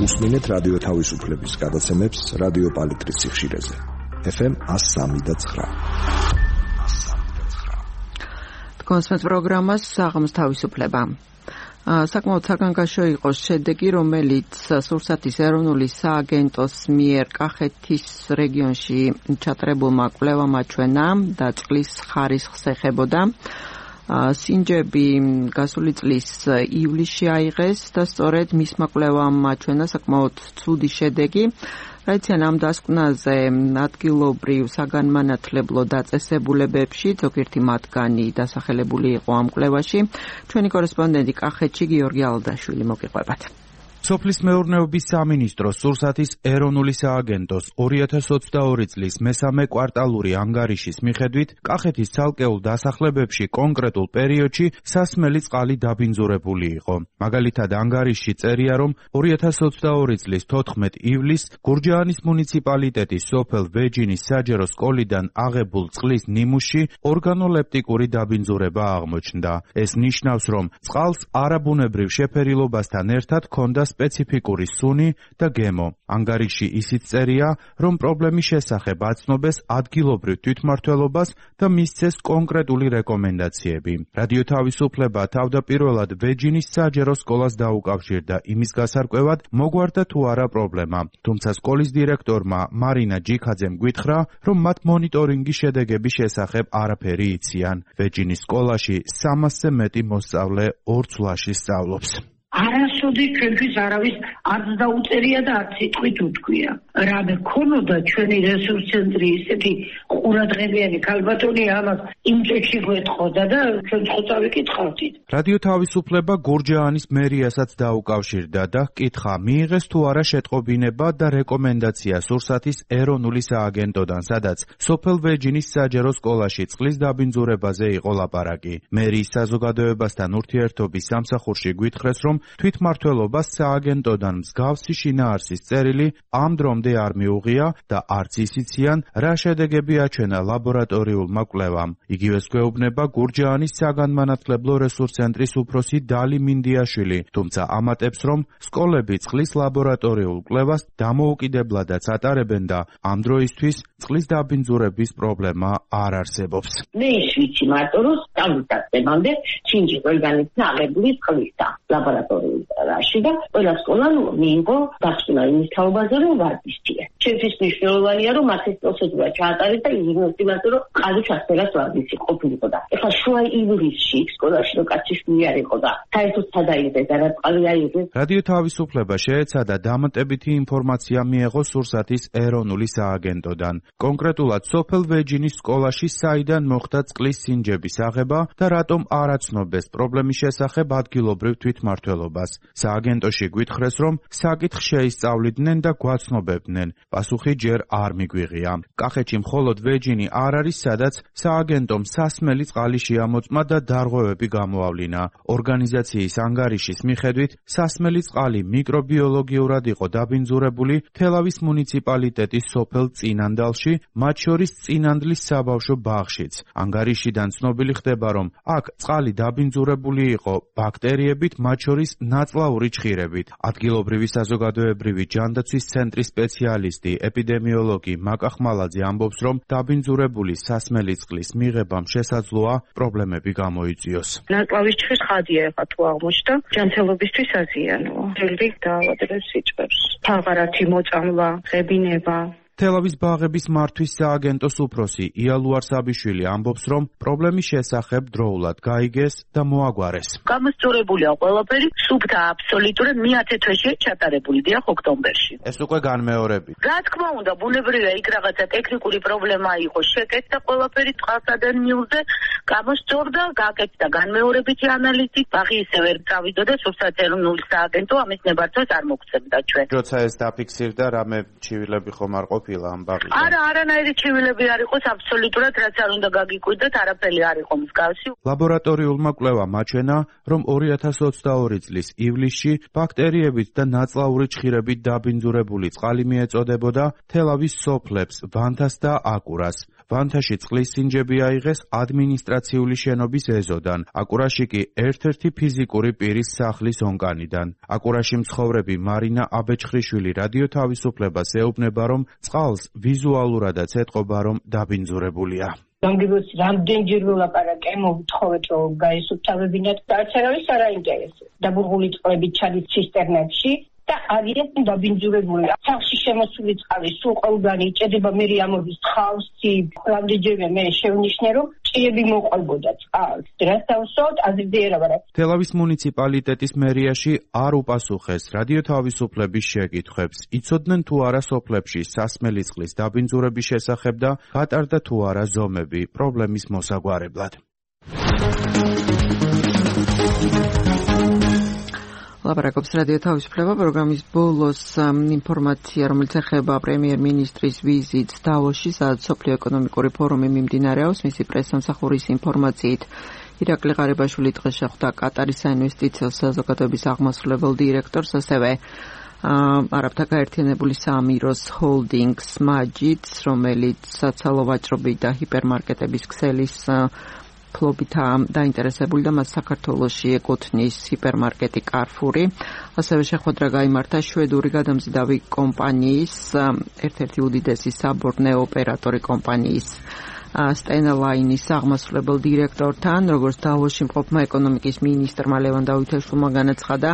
უსმინეთ რადიო თავისუფლების გადაცემებს რადიო პალიტრის სიხშირეზე. FM 103.9. კონსმეთ პროგრამას საღამოს თავისუფლება. საკმაოდ საგანგაშო იყო შედეგი, რომელიც სურსათის ეროვნული სააგენტოს მიერ კახეთის რეგიონში ჩატარებულმა კვლევამ აჩვენა და წყლის ხარისხს ეხებოდა. სინჯები გასული წლის ივლისში აიღეს და სწორედ მისმა კვლევამ აჩვენა საკმაოდ ცუდი შედეგი. რაიციან ამ დასკვნაზე ადგილობრივ საგანმანათლებლო დაწესებულებებში ზოგიერთი მათგანი დასახელებული იყო ამ კვლევაში. ჩვენი კორესპონდენტი კახეთში გიორგი ალდაშვილი მოგიყვებათ. სოფლის მეურნეობის სამინისტროს სურსათის ეროვნული სააგენტოს 2022 წლის მესამე კვარტალური ანგარიშის მიხედვით კახეთის ცალკეულ დასახლებებში კონკრეტულ პერიოდში სასმელი წყალი დაბინძურებული იყო. მაგალითად ანგარიშში წერია, რომ 2022 წლის 14 ივლისს გურჯაანის მუნიციპალიტეტის სოფელ ვეჯინის საჯარო სკოლიდან აღებულ წყლის ნიმუში ორგანოლეპტიკური დაბინძურება აღმოჩნდა. ეს ნიშნავს, რომ წყალს არაბუნებრივ შეფერილობასთან ერთად ჰქონდა სპეციფიკური სუნი და გემო. ანგარიში ისიც წერია, რომ პრობლემის შესახებ აცნობეს ადგილობრივ თვითმმართველობას და მისცეს კონკრეტული რეკომენდაციები. რადიო თავისუფლება თავდაპირველად ვეჯინის საჯარო სკოლას დაუკავშირდა იმის გასარკვევად, მოგვარდა თუ არა პრობლემა. თუმცა სკოლის დირექტორმა მარინა ჯიქაძემ გვითხრა, რომ მათ მონიტორინგის შედეგების შესახებ არაფერი იციან. ვეჯინის სკოლაში 300-ზე მეტი მოსწავლე ორ ცვლაში სწავლობს. არასოდეს ჩვენთვის არავის არც დაუწერია და არც სიტყვით უთქვია. რა მქონოდა ჩვენი რესურს ცენტრი ისეთი ყურადღებიანი ქალბატონი ამას იმ წუთში გვეთხოვდა და ჩვენ ხოთა ვიკითხავდით. რადიო თავისუფლება გურჯაანის მერიასაც დაუკავშირდა და ჰკითხა, მიიღეს თუ არა შეტყობინება და რეკომენდაცია სურსათის ეროვნული სააგენტოდან, სადაც სოფელ ვეჯინის საჯარო სკოლაში წყლის დაბინძურებაზე იყო ლაპარაკი. მერიის საზოგადოებასთან ურთიერთობის სამსახურში გვითხრეს, რომ თვითმმართველობას სააგენტოდან მსგავსი შინაარსის წერილი ამ დრომდე არ მიუღია და არც ისიციან, რა შედეგები აჩვენა ლაბორატორიულმა კვლევამ. იგივეს გვეუბნება გურჯაანის საგანმანათლებლო რესურს ცენტრის უფროსი დალი მინდიაშვილი, თუმცა ამატებს, რომ სკოლები წყლის ლაბორატორიულ კვლევას დამოუკიდებლადაც ატარებენ და ამ დროისთვის წყლის დაბინძურების პრობლემა არ არსებობს. მე ვიცი მარტო რომ სწავლისდამამდე ჩინჯი ყველგანიცა აღებული წყლისა ლაბორატორიაში და ყველა სკოლამ მიიღო დასკვნა იმის თაობაზე რომ ვარდისია. ჩვენთვის მნიშვნელოვანია რომ მას ეს პროცედურა ჩაატარეს და იმასე რომ ყალიბ ჩასწერას ვარდისი ყოფილიყო და ეხლა შუა ივლისში სკოლაში რო კაციშვილი არ იყო და საერთოდ სადაიღეს და რა წყალი აიღეს. რადიო თავისუფლება შეეცადა დამატებითი ინფორმაცია მიეღო სურსათის ეროვნული სააგენტოდან. კონკრეტულად სოფელ ვეჯინის სკოლაში საიდან მოხდა წყლის სინჯების აღება და რატომ არ აცნობეს პრობლემის შესახებ ადგილობრივ თვითმმართველობას. სააგენტოში გვითხრეს, რომ საკითხს შეისწავლიდნენ და გვაცნობებდნენ. პასუხი ჯერ არ მიგვიღია. კახეთში მხოლოდ ვეჯინი არ არის, სადაც სააგენტომ სასმელი წყალი შეამოწმა და დარღვევები გამოავლინა. ორგანიზაციის ანგარიშის მიხედვით, სასმელი წყალი მიკრობიოლოგიურად იყო დაბინძურებული თელავის მუნიციპალიტეტის სოფელ წინანდალში, მათ შორის წინანდლის საბავშვო ბაღშიც. ანგარიშიდან ცნობილი ხდება, რომ აქ წყალი დაბინძურებული იყო ბაქტერიებით, მათ შორის ნაწლაური ჩხირებით. ადგილობრივი საზოგადოებრივი ჯანდაცვის ცენტრის სპეციალისტი ეპიდემიოლოგი მაკა ხმალაძე ამბობს, რომ დაბინძურებული სასმელი წყლის მიღებამ შესაძლოა პრობლემები გამოიწვიოს. ნაწლავის ჩხირის ხადია ეხლა თუ აღმოჩნდა, ჯანმრთელობისთვის აზიანოა. ძველი დაავადებებს იწვევს. თაღარათი მოწამვლა, ღებინება. თელავის ბაღების მართვის სააგენტოს უფროსი იალუარ საბიშვილი ამბობს, რომ პრობლემის შესახებ დროულად გაიგეს და მოაგვარეს. გამოსწორებულია ყველაფერი, სუფთა აბსოლუტურად მე-10 თვეში ჩატარებული დიახ ოქტომბერში. ეს უკვე განმეორები. რა თქმა უნდა, ბუნებრივია იქ რაღაცა ტექნიკური პრობლემა იყო, შეკეთდა ყველაფერი წყალსადენ მიუძე, გამოსწორდა, გაკეთდა განმეორებითი ანალიზი, ბაღი ისევ ვერ წავიდა და სუფთა ეროვნული სააგენტო ამის ნებართვას არ მოგცემდა ჩვენ. როცა ეს დაფიქსირდა, რამე ჩივილები ხომ არ ყოფილა ამ ბაღში? არა, არანაირი ჩივილები არ იყოს, აბსოლუტურად რაც არ უნდა გაგიკვირდეთ, არაფერი არ იყო მსგავსი. ლაბორატორიულმა კვლევამ აჩვენა, რომ 2022 წლის ივლისში ბაქტერიებით და ნაწლაური ჩხირებით დაბინძურებული წყალი მიეწოდებოდა თელავის სოფლებს, ვანთას და აკურას. ვანთაში წყლის სინჯები აიღეს ადმინისტრაციული შენობის ეზოდან, აკურაში კი ერთ-ერთი ფიზიკური პირის სახლის ონკანიდან. აკურაში მცხოვრები მარინა აბეჭხრიშვილი რადიო თავისუფლებას ეუბნება, რომ წყალს ვიზუალურადაც ეთყობა, რომ დაბინძურებულია. გამგებოს რამდენჯერ ვლაპარაკე, მოვთხოვეთ რომ გაისუფთავებინათ და არც არავის არ აინტერესებს. დაბურღული წყლები ჩადის ცისტერნებში და არის დაბინძურებული. სახში შემოსული წყალი სულ ყველგან იჭედება, მე ამოდის ხავსი, რამდენჯერმე მე შევნიშნე რომ ჭიები მოყვებოდა წყალს. რაც დავსვათ, აზრზე ერავა. თელავის მუნიციპალიტეტის მერიაში არ უპასუხეს რადიო თავისუფლების შეკითხვებს. იცოდნენ თუ არა სოფლებში სასმელი წყლის დაბინძურების შესახებ და გატარდა თუ არა ზომები პრობლემის მოსაგვარებლად. ლაპარაკობს რადიო თავისუფლება პროგრამის ბოლოს ინფორმაცია, რომელიც ეხება პრემიერ-მინისტრის ვიზიტს დავოსში, სადაც სოფლიო ეკონომიკური ფორუმი მიმდინარეობს. მისი პრესსამსახურის ინფორმაციით, ირაკლი ღარიბაშვილი დღეს შეხვდა კატარის საინვესტიციო საზოგადოების აღმასრულებელ დირექტორს, ასევე არაბთა გაერთიანებული საამიროს ჰოლდინგს მაჯიდს, რომელიც საცალო ვაჭრობი და ჰიპერმარკეტების ქსელის ფლობითაა დაინტერესებული და მას საქართველოში ეკუთვნის ჰიპერმარკეტი Carrefour-ი. ასევე შეხვედრა გაიმართა შვედური გადამზიდავი კომპანიის, ერთ-ერთი უდიდესი საბორნეო ოპერატორი კომპანიის Stena Line-ის აღმასრულებელ დირექტორთან, როგორც დავოში მყოფმა ეკონომიკის მინისტრმა ლევან დავითაშვილმა განაცხადა,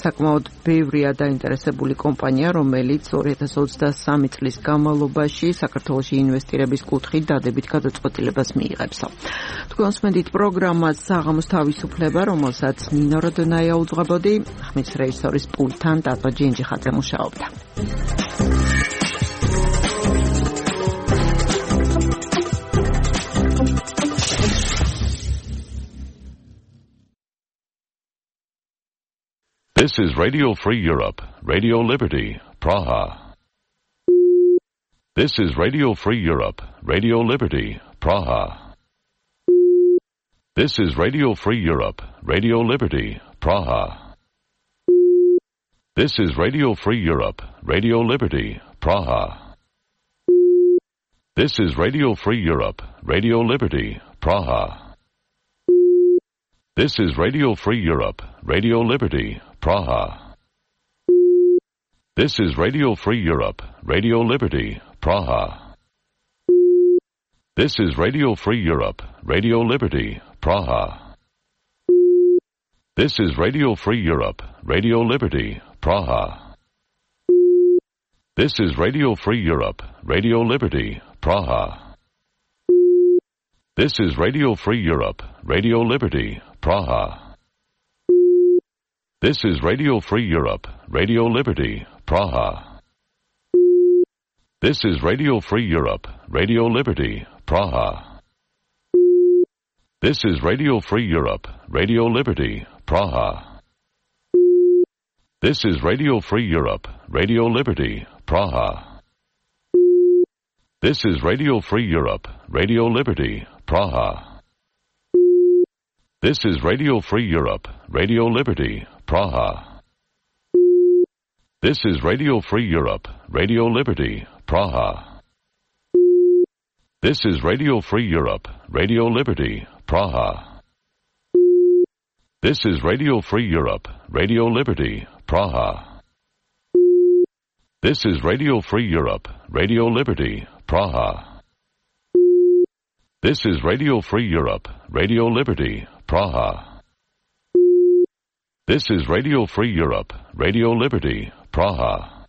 საკმაოდ ბევრია დაინტერესებული კომპანია, რომელიც 2023 წლის განმავლობაში საქართველოში ინვესტირების კუთხით დადებით გადაწყვეტილებას მიიღებს. თქვენ უსმენთ პროგრამას საღამოს თავისუფლება, რომელსაც ნინო როდონაია უძღვებოდი, ხმის რეჟისორის პულტთან დატო ჯინჯიხაძე მუშაობდა. This is Radio Free Europe, Radio Liberty, Praha. This is Radio Free Europe, Radio Liberty, Praha. This is Radio Free Europe, Radio Liberty, Praha. This is Radio Free Europe, Radio Liberty, Praha. This is Radio Free Europe, Radio Liberty, Praha. This is Radio Free Europe, Radio Liberty, Praha. This is Radio Free Europe, Radio Liberty, Praha. This is Radio Free Europe, Radio Liberty, Praha. This is Radio Free Europe, Radio Liberty, Praha. This is Radio Free Europe, Radio Liberty, Praha. This is Radio Free Europe, Radio Liberty, Praha. This is Radio Free Europe, Radio Liberty, Praha. This is Radio Free Europe, Radio Liberty, Praha. This is Radio Free Europe, Radio Liberty, Praha. This is Radio Free Europe, Radio Liberty, Praha. This is Radio Free Europe, Radio Liberty, Praha. This is Radio Free Europe, Radio Liberty, Praha. This is Radio Free Europe, Radio Liberty, Praha. This is Radio Free Europe, Radio Liberty, Praha. This is Radio Free Europe, Radio Liberty, Praha. This is Radio Free Europe, Radio Liberty, Praha.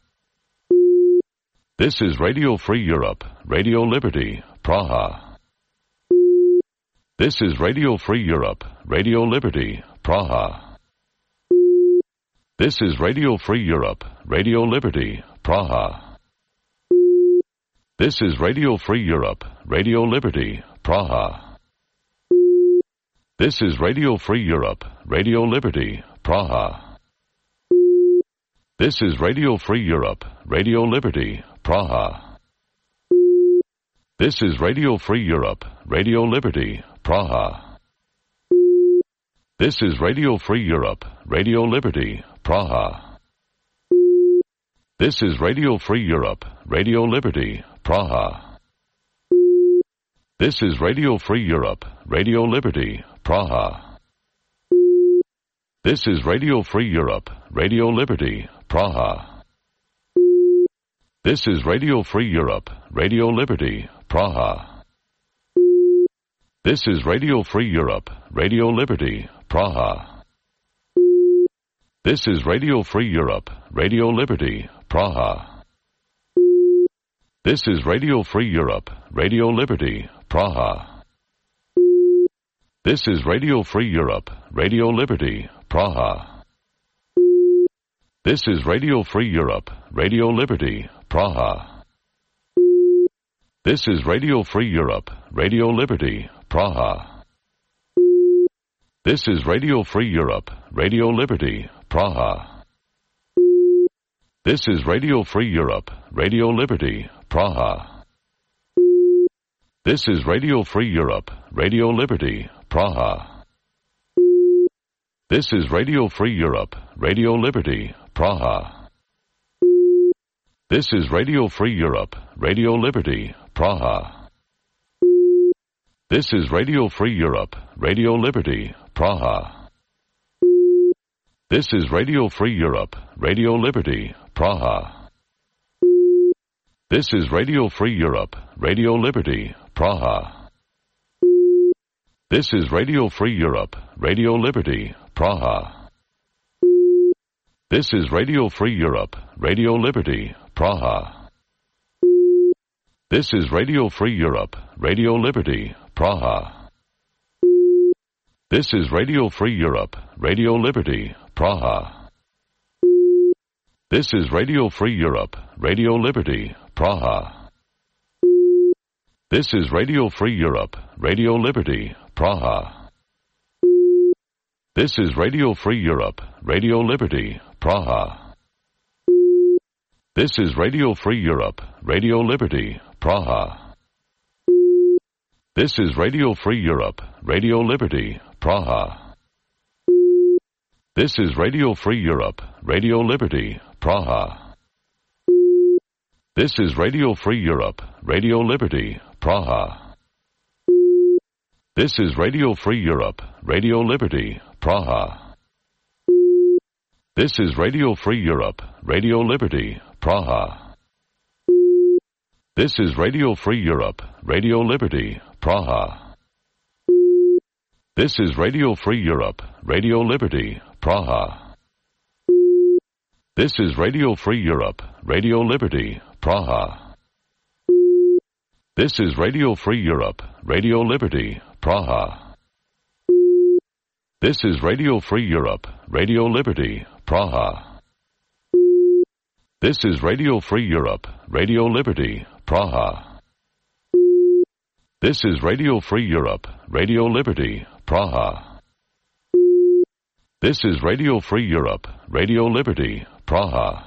This is Radio Free Europe, Radio Liberty, Praha. This is Radio Free Europe, Radio Liberty, Praha. This is Radio Free Europe, Radio Liberty, Praha. This is Radio Free Europe, Radio Liberty, Praha. This is Radio Free Europe, Radio Liberty, Praha. This is Radio Free Europe, Radio Liberty, Praha. This is Radio Free Europe, Radio Liberty, Praha. This is Radio Free Europe, Radio Liberty, Praha. This is Radio Free Europe, Radio Liberty, Praha. This is Radio Free Europe, Radio Liberty, Praha. This is Radio Free Europe, Radio Liberty, Praha. This is Radio Free Europe, Radio Liberty, Praha. This is Radio Free Europe, Radio Liberty, Praha. This is Radio Free Europe, Radio Liberty, Praha. This is Radio Free Europe, Radio Liberty, Praha. This is Radio Free Europe, Radio Liberty, Praha. This is Radio Free Europe, Radio Liberty, Praha. This is Radio Free Europe, Radio Liberty, Praha. This is Radio Free Europe, Radio Liberty, Praha. This is Radio Free Europe, Radio Liberty, Praha. This is Radio Free Europe, Radio Liberty, Praha. This is Radio Free Europe, Radio Liberty, Praha. This is Radio Free Europe, Radio Liberty, Praha. This is Radio Free Europe, Radio Liberty, Praha. This is Radio Free Europe, Radio Liberty, Praha. This is Radio Free Europe, Radio Liberty, Praha. This is Radio Free Europe, Radio Liberty, Praha. This is Radio Free Europe, Radio Liberty, Praha. This is Radio Free Europe, Radio Liberty, Praha. This is Radio Free Europe, Radio Liberty, Praha. This is Radio Free Europe, Radio Liberty, Praha. This is Radio Free Europe, Radio Liberty, Praha. This is Radio Free Europe, Radio Liberty, Praha. This is Radio Free Europe, Radio Liberty, Praha. This is Radio Free Europe, Radio Liberty, Praha. This is Radio Free Europe, Radio Liberty, Praha. This is Radio Free Europe, Radio Liberty, Praha. This is Radio Free Europe, Radio Liberty, Praha. This is Radio Free Europe, Radio Liberty, Praha. This is Radio Free Europe, Radio Liberty, Praha. This is Radio Free Europe, Radio Liberty, Praha. This is Radio Free Europe, Radio Liberty, Praha. This is Radio Free Europe, Radio Liberty, Praha. This is Radio Free Europe, Radio Liberty, Praha. This is Radio Free Europe, Radio Liberty, Praha. This is Radio Free Europe, Radio Liberty, Praha. This is Radio Free Europe, Radio Liberty, Praha. This is Radio Free Europe, Radio Liberty, Praha.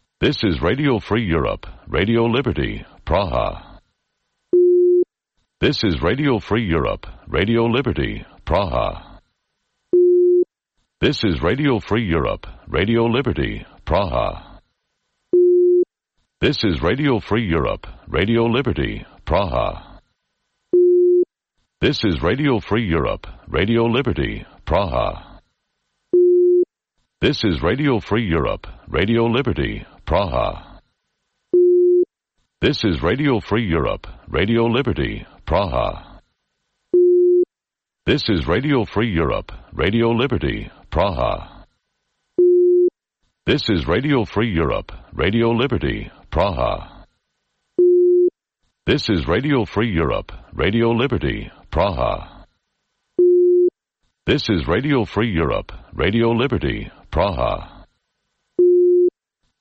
This is Radio Free Europe, Radio Liberty, Praha. This is Radio Free Europe, Radio Liberty, Praha. This is Radio Free Europe, Radio Liberty, Praha. This is Radio Free Europe, Radio Liberty, Praha. This is Radio Free Europe, Radio Liberty, Praha. This is Radio Free Europe, Radio Liberty, Praha. This is Radio Free Europe, Radio Liberty, Praha. This is Radio Free Europe, Radio Liberty, Praha. This is Radio Free Europe, Radio Liberty, Praha. This is Radio Free Europe, Radio Liberty, Praha. This is Radio Free Europe, Radio Liberty, Praha. This is Radio Free Europe, Radio Liberty, Praha.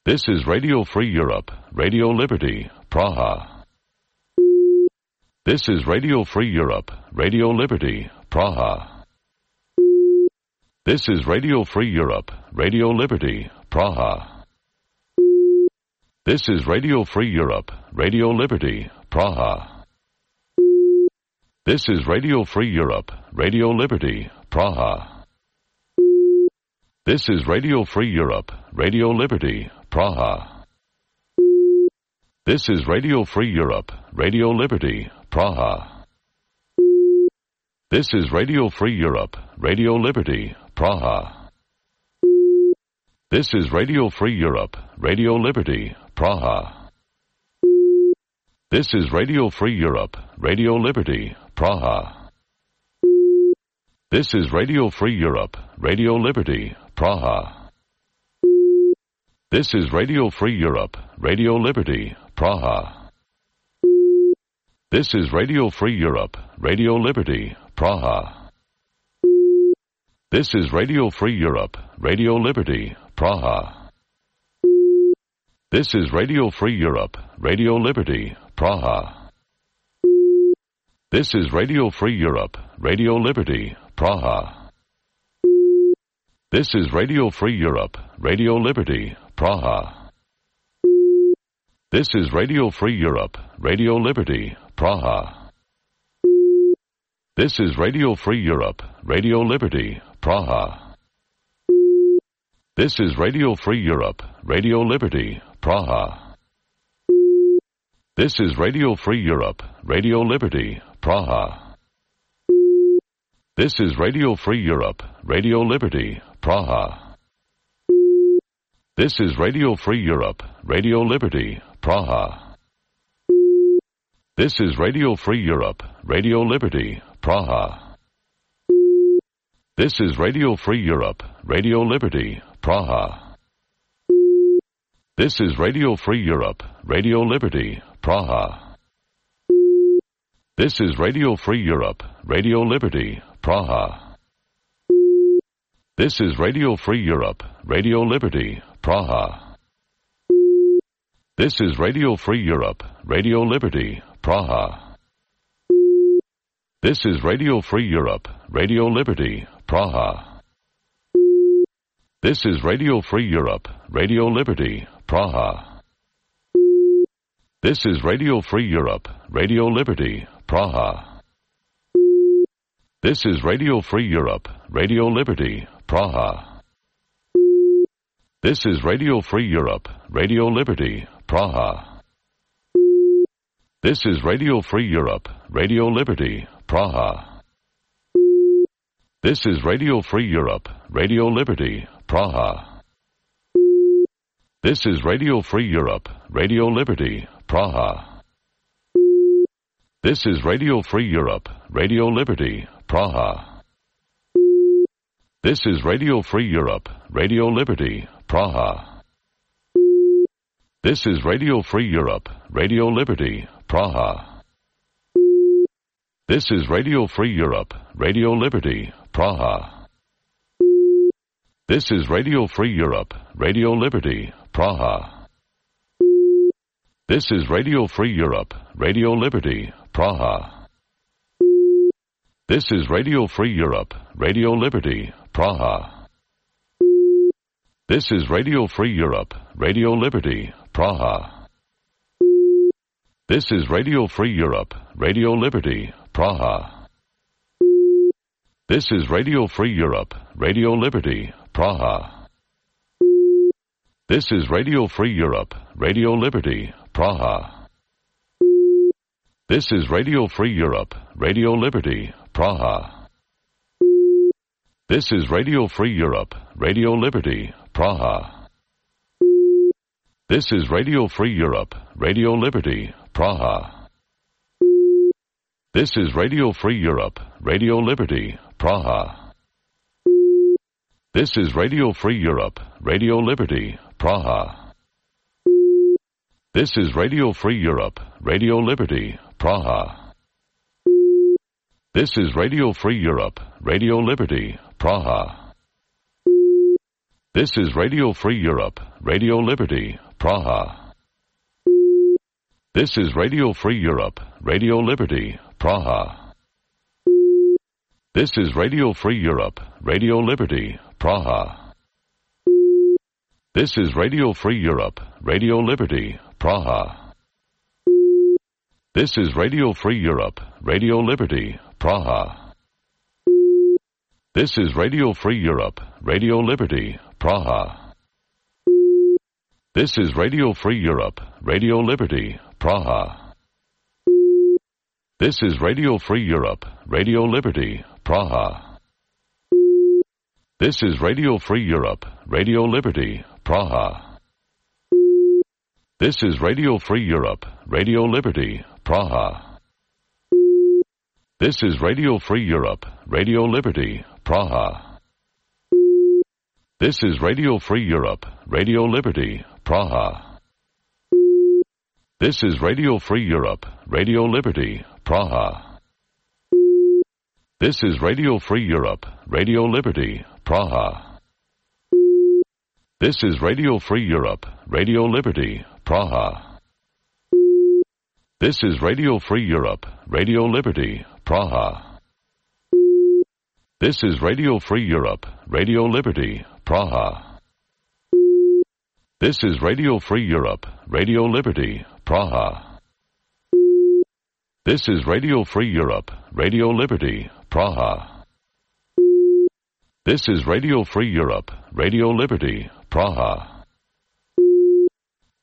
This is Radio Free Europe, Radio Liberty, Praha. This is Radio Free Europe, Radio Liberty, Praha. This is Radio Free Europe, Radio Liberty, Praha. This is Radio Free Europe, Radio Liberty, Praha. This is Radio Free Europe, Radio Liberty, Praha. This is Radio Free Europe, Radio Liberty, Praha. This is Radio Free Europe, Radio Liberty, Praha. This is Radio Free Europe, Radio Liberty, Praha. This is Radio Free Europe, Radio Liberty, Praha. This is Radio Free Europe, Radio Liberty, Praha. This is Radio Free Europe, Radio Liberty, Praha. This is Radio Free Europe, Radio Liberty, Praha. This is Radio Free Europe, Radio Liberty, Praha. This is Radio Free Europe, Radio Liberty, Praha. This is Radio Free Europe, Radio Liberty, Praha. This is Radio Free Europe, Radio Liberty, Praha. This is Radio Free Europe, Radio Liberty, Praha. This is Radio Free Europe, Radio Liberty, Praha. This is Radio Free Europe, Radio Liberty, Praha. This is Radio Free Europe, Radio Liberty, Praha. This is Radio Free Europe, Radio Liberty, Praha. This is Radio Free Europe, Radio Liberty, Praha. This is Radio Free Europe, Radio Liberty, Praha. This is Radio Free Europe, Radio Liberty, Praha. This is Radio Free Europe, Radio Liberty, Praha. This is Radio Free Europe, Radio Liberty, Praha. This is Radio Free Europe, Radio Liberty, Praha. This is Radio Free Europe, Radio Liberty, Praha. This is Radio Free Europe, Radio Liberty, Praha. This is Radio Free Europe, Radio Liberty, Praha. This is Radio Free Europe, Radio Liberty, Praha. This is Radio Free Europe, Radio Liberty, Praha. This is Radio Free Europe, Radio Liberty, Praha. This is Radio Free Europe, Radio Liberty, Praha. This is Radio Free Europe, Radio Liberty, Praha. This is Radio Free Europe, Radio Liberty, Praha. This is Radio Free Europe, Radio Liberty, Praha. This is Radio Free Europe, Radio Liberty, Praha. This is Radio Free Europe, Radio Liberty, Praha. This is Radio Free Europe, Radio Liberty, Praha. This is Radio Free Europe, Radio Liberty, Praha. This is Radio Free Europe, Radio Liberty, Praha. This is Radio Free Europe, Radio Liberty, Praha. This is Radio Free Europe, Radio Liberty, Praha. This is Radio Free Europe, Radio Liberty, Praha. This is Radio Free Europe, Radio Liberty, Praha. This is Radio Free Europe, Radio Liberty, Praha. This is Radio Free Europe, Radio Liberty, Praha. This is Radio Free Europe, Radio Liberty, Praha. This is Radio Free Europe, Radio Liberty, Praha. This is Radio Free Europe, Radio Liberty, Praha. This is Radio Free Europe, Radio Liberty, Praha. This is Radio Free Europe, Radio Liberty, Praha. This is Radio Free Europe, Radio Liberty, Praha. This is Radio Free Europe, Radio Liberty, Praha. This is Radio Free Europe, Radio Liberty, Praha. This is Radio Free Europe, Radio Liberty, Praha. This is Radio Free Europe, Radio Liberty, Praha. This is Radio Free Europe, Radio Liberty, Praha. This is Radio Free Europe, Radio Liberty, Praha. This is Radio Free Europe, Radio Liberty, Praha. This is Radio Free Europe, Radio Liberty, Praha. This is Radio Free Europe, Radio Liberty, Praha. This is Radio Free Europe, Radio Liberty, Praha. This is Radio Free Europe, Radio Liberty, Praha. This is Radio Free Europe, Radio Liberty, Praha. This is Radio Free Europe, Radio Liberty, Praha. This is Radio Free Europe, Radio Liberty, Praha. This is Radio Free Europe, Radio Liberty, Praha. This is Radio Free Europe, Radio Liberty, Praha. This is Radio Free Europe, Radio Liberty, Praha. This is Radio Free Europe, Radio Liberty, Praha. This is Radio Free Europe, Radio Liberty, Praha. This is Radio Free Europe, Radio Liberty, Praha. This is Radio Free Europe, Radio Liberty, Praha.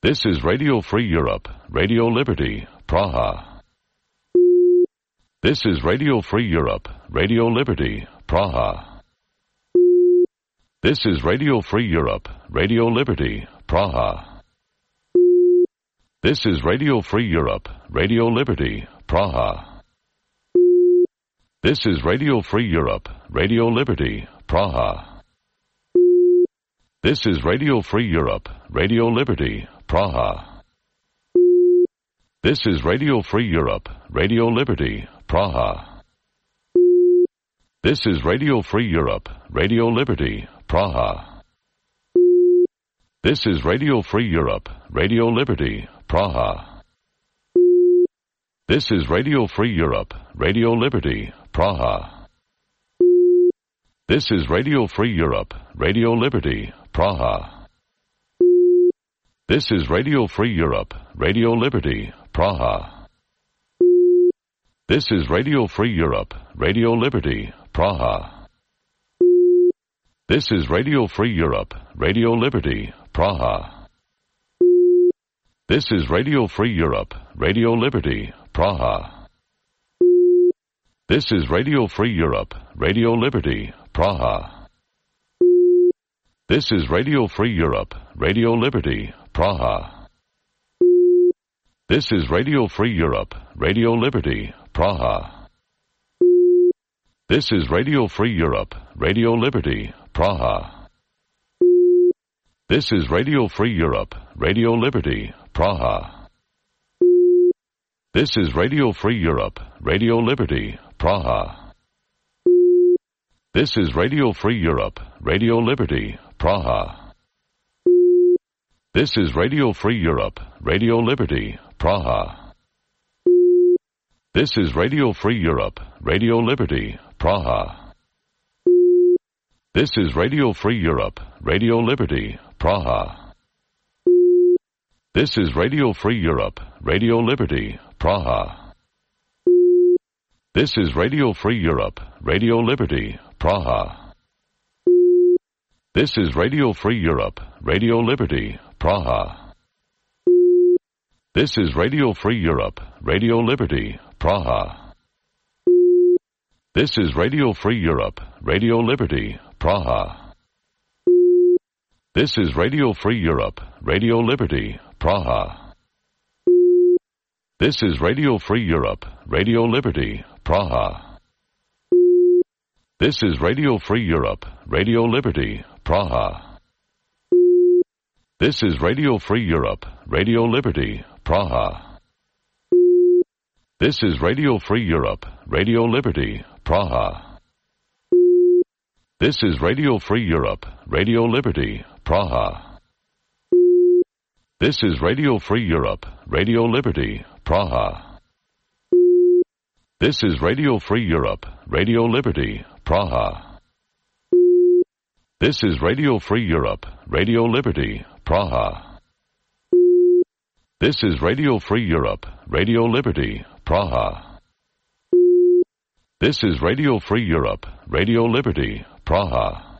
This is Radio Free Europe, Radio Liberty, Praha. This is Radio Free Europe, Radio Liberty, Praha. This is Radio Free Europe, Radio Liberty, Praha. This is Radio Free Europe, Radio Liberty, Praha. This is Radio Free Europe, Radio Liberty, Praha. This is Radio Free Europe, Radio Liberty, Praha. This is Radio Free Europe, Radio Liberty, Praha. This is Radio Free Europe, Radio Liberty, Praha. This is Radio Free Europe, Radio Liberty, Praha. This is Radio Free Europe, Radio Liberty, Praha. This is Radio Free Europe, Radio Liberty, Praha. This is Radio Free Europe, Radio Liberty, Praha. This is Radio Free Europe, Radio Liberty, Praha. This is Radio Free Europe, Radio Liberty, Praha. This is Radio Free Europe, Radio Liberty, Praha. This is Radio Free Europe, Radio Liberty, Praha. This is Radio Free Europe, Radio Liberty, Praha. This is Radio Free Europe, Radio Liberty, Praha. This is Radio Free Europe, Radio Liberty, Praha. This is Radio Free Europe, Radio Liberty, Praha. This is Radio Free Europe, Radio Liberty, Praha. This is Radio Free Europe, Radio Liberty, Praha. This is Radio Free Europe, Radio Liberty, Praha. This is Radio Free Europe, Radio Liberty, Praha. This is Radio Free Europe, Radio Liberty, Praha. This is Radio Free Europe, Radio Liberty, Praha. This is Radio Free Europe, Radio Liberty, Praha. This is Radio Free Europe, Radio Liberty, Praha. This is Radio Free Europe, Radio Liberty, Praha. This is Radio Free Europe, Radio Liberty, Praha. This is Radio Free Europe, Radio Liberty, Praha. This is Radio Free Europe, Radio Liberty, Praha. This is Radio Free Europe, Radio Liberty, Praha. This is Radio Free Europe, Radio Liberty, Praha. This is Radio Free Europe, Radio Liberty, Praha. This is Radio Free Europe, Radio Liberty, Praha. This is Radio Free Europe, Radio Liberty, Praha. This is Radio Free Europe, Radio Liberty, Praha. This is Radio Free Europe, Radio Liberty, Praha. This is Radio Free Europe, Radio Liberty, Praha. This is Radio Free Europe, Radio Liberty, Praha.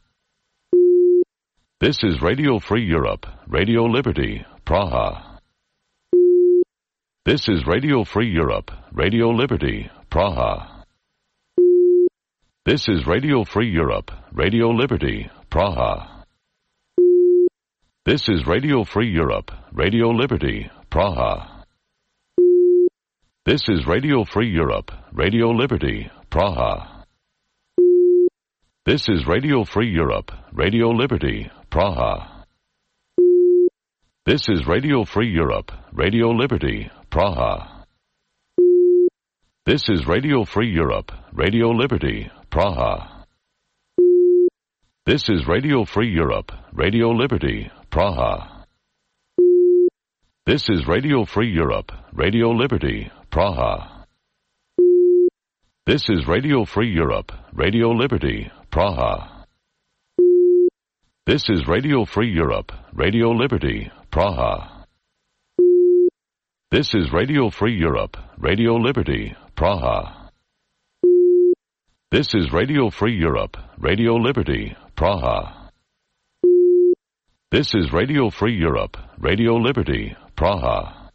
This is Radio Free Europe, Radio Liberty, Praha. This is Radio Free Europe, Radio Liberty, Praha. This is Radio Free Europe, Radio Liberty, Praha. This is Radio Free Europe, Radio Liberty, Praha. This is Radio Free Europe, Radio Liberty, Praha. This is Radio Free Europe, Radio Liberty, Praha. This is Radio Free Europe, Radio Liberty, Praha. This is Radio Free Europe, Radio Liberty, Praha. This is Radio Free Europe, Radio Liberty, Praha. This is Radio Free Europe, Radio Liberty, Praha. This is Radio Free Europe, Radio Liberty, Praha. This is Radio Free Europe, Radio Liberty, Praha. This is Radio Free Europe, Radio Liberty, Praha. This is Radio Free Europe, Radio Liberty, Praha. This is Radio Free Europe, Radio Liberty, Praha.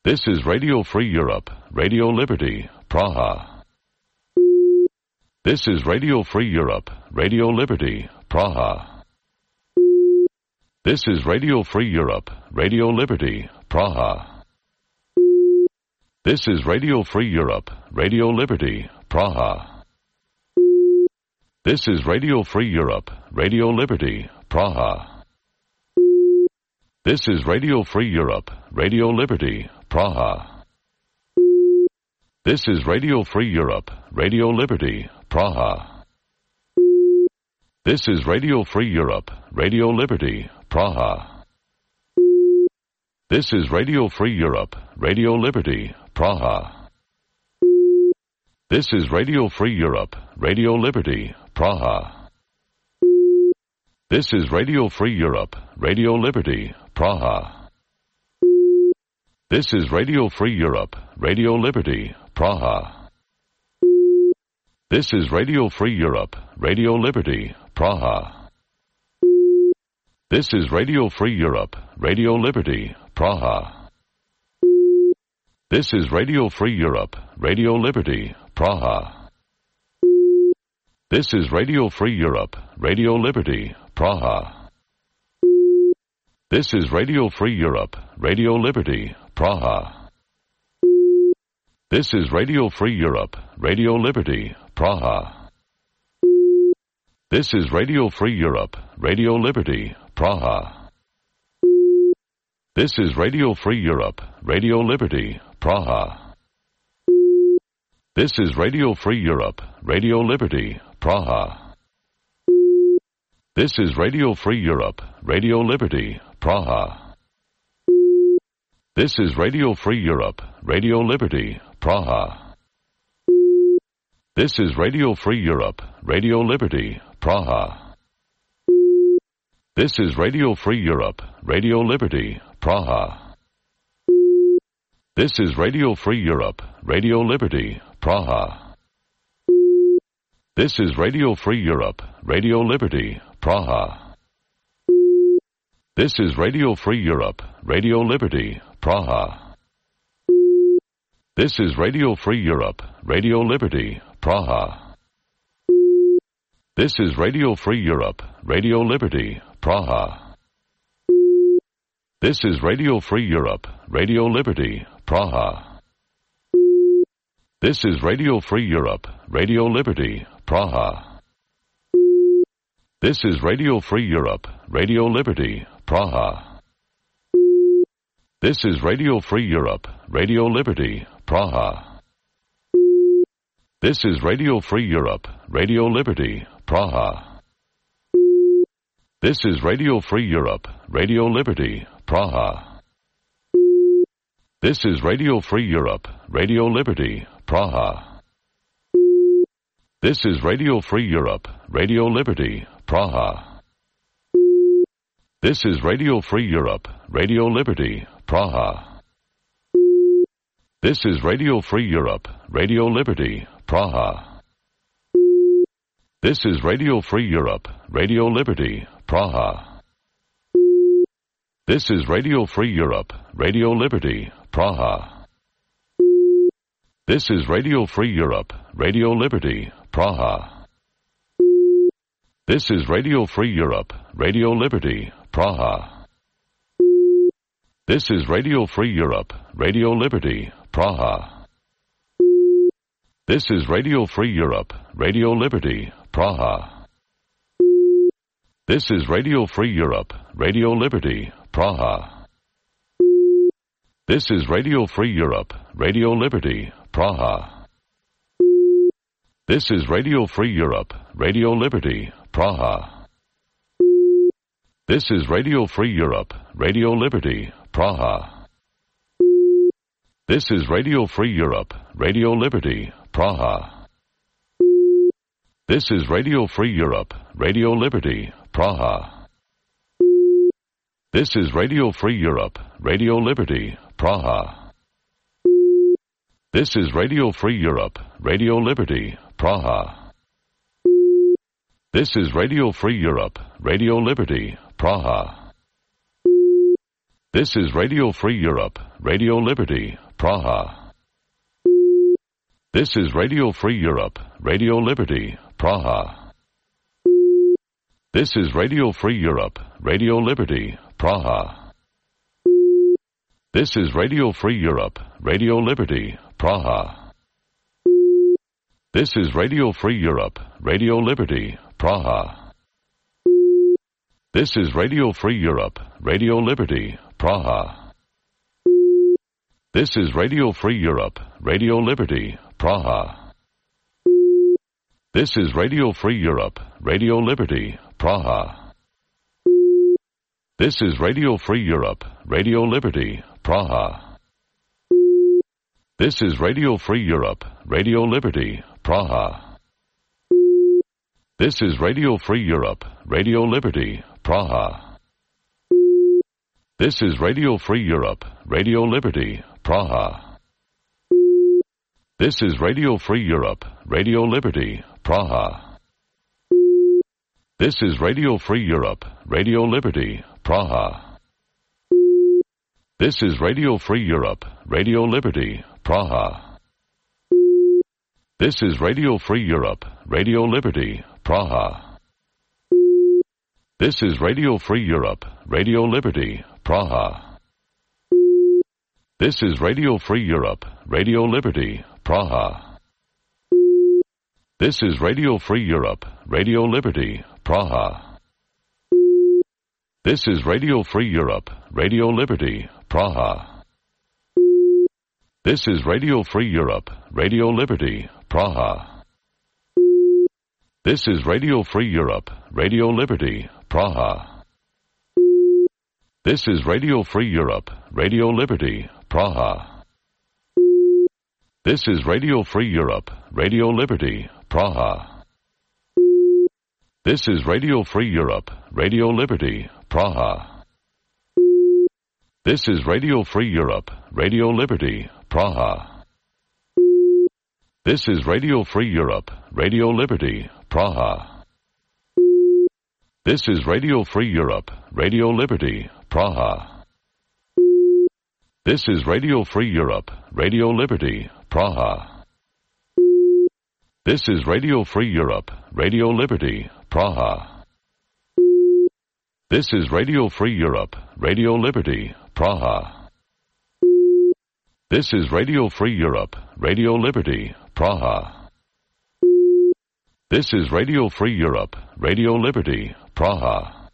This is Radio Free Europe, Radio Liberty, Praha. This is Radio Free Europe, Radio Liberty, Praha. This is Radio Free Europe, Radio Liberty, Praha. This is Radio Free Europe, Radio Liberty, Praha. This is Radio Free Europe, Radio Liberty, Praha. This is Radio Free Europe, Radio Liberty, Praha. This is Radio Free Europe, Radio Liberty, Praha. This is Radio Free Europe, Radio Liberty, Praha. This is Radio Free Europe, Radio Liberty, Praha. This is Radio Free Europe, Radio Liberty, Praha. This is Radio Free Europe, Radio Liberty, Praha. This is Radio Free Europe, Radio Liberty, Praha. This is Radio Free Europe, Radio Liberty, Praha. This is Radio Free Europe, Radio Liberty, Praha. This is Radio Free Europe, Radio Liberty, Praha. This is Radio Free Europe, Radio Liberty, Praha. This is Radio Free Europe, Radio Liberty, Praha. This is Radio Free Europe, Radio Liberty, Praha. This is Radio Free Europe, Radio Liberty, Praha. This is Radio Free Europe, Radio Liberty, Praha. This is Radio Free Europe, Radio Liberty, Praha. This is Radio Free Europe, Radio Liberty, Praha. This is Radio Free Europe, Radio Liberty, Praha. This is Radio Free Europe, Radio Liberty, Praha. This is Radio Free Europe, Radio Liberty, Praha. This is Radio Free Europe, Radio Liberty, Praha. This is Radio Free Europe, Radio Liberty, Praha. This is Radio Free Europe, Radio Liberty, Praha. This is Radio Free Europe, Radio Liberty, Praha. This is Radio Free Europe, Radio Liberty, Praha. This is Radio Free Europe, Radio Liberty, Praha. This is Radio Free Europe, Radio Liberty, Praha. This is Radio Free Europe, Radio Liberty, Praha. This is Radio Free Europe, Radio Liberty, Praha. This is Radio Free Europe, Radio Liberty, Praha. This is Radio Free Europe, Radio Liberty, Praha. This is Radio Free Europe, Radio Liberty, Praha. This is Radio Free Europe, Radio Liberty, Praha. This is Radio Free Europe, Radio Liberty, Praha. This is Radio Free Europe, Radio Liberty, Praha. This is Radio Free Europe, Radio Liberty, Praha. This is Radio Free Europe, Radio Liberty, Praha. This is Radio Free Europe, Radio Liberty, Praha. This is Radio Free Europe, Radio Liberty, Praha. This is Radio Free Europe, Radio Liberty, Praha. This is Radio Free Europe, Radio Liberty, Praha. This is Radio Free Europe, Radio Liberty, Praha. This is Radio Free Europe, Radio Liberty, Praha. This is Radio Free Europe, Radio Liberty, Praha. This is Radio Free Europe, Radio Liberty, Praha. This is Radio Free Europe, Radio Liberty, Praha. This is Radio Free Europe, Radio Liberty, Praha. This is Radio Free Europe, Radio Liberty, Praha. This is Radio Free Europe, Radio Liberty, Praha. This is Radio Free Europe, Radio Liberty, Praha. This is Radio Free Europe, Radio Liberty, Praha. This is Radio Free Europe, Radio Liberty, Praha. This is Radio Free Europe, Radio Liberty, Praha. This is Radio Free Europe, Radio Liberty, Praha. This is Radio Free Europe, Radio Liberty, Praha. This is Radio Free Europe, Radio Liberty, Praha. This is Radio Free Europe, Radio Liberty, Praha. This is Radio Free Europe, Radio Liberty, Praha. This is Radio Free Europe, Radio Liberty, Praha. This is Radio Free Europe, Radio Liberty, Praha. This is Radio Free Europe, Radio Liberty, Praha. This is Radio Free Europe, Radio Liberty, Praha. This is Radio Free Europe, Radio Liberty, Praha. This is Radio Free Europe, Radio Liberty, Praha. This is Radio Free Europe, Radio Liberty, Praha. This is Radio Free Europe, Radio Liberty, Praha. This is Radio Free Europe, Radio Liberty, Praha. This is Radio Free Europe, Radio Liberty, Praha. This is Radio Free Europe, Radio Liberty, Praha. This is Radio Free Europe, Radio Liberty, Praha. This is Radio Free Europe, Radio Liberty, Praha. This is Radio Free Europe, Radio Liberty, Praha. This is Radio Free Europe, Radio Liberty, Praha. This is Radio Free Europe, Radio Liberty, Praha. This is Radio Free Europe, Radio Liberty, Praha. This is Radio Free Europe, Radio Liberty, Praha. This is Radio Free Europe, Radio Liberty, Praha. This is Radio Free Europe, Radio Liberty, Praha. This is Radio Free Europe, Radio Liberty, Praha. This is Radio Free Europe, Radio Liberty, Praha. This is Radio Free Europe, Radio Liberty, Praha. This is Radio Free Europe, Radio Liberty, Praha. This is Radio Free Europe, Radio Liberty, Praha.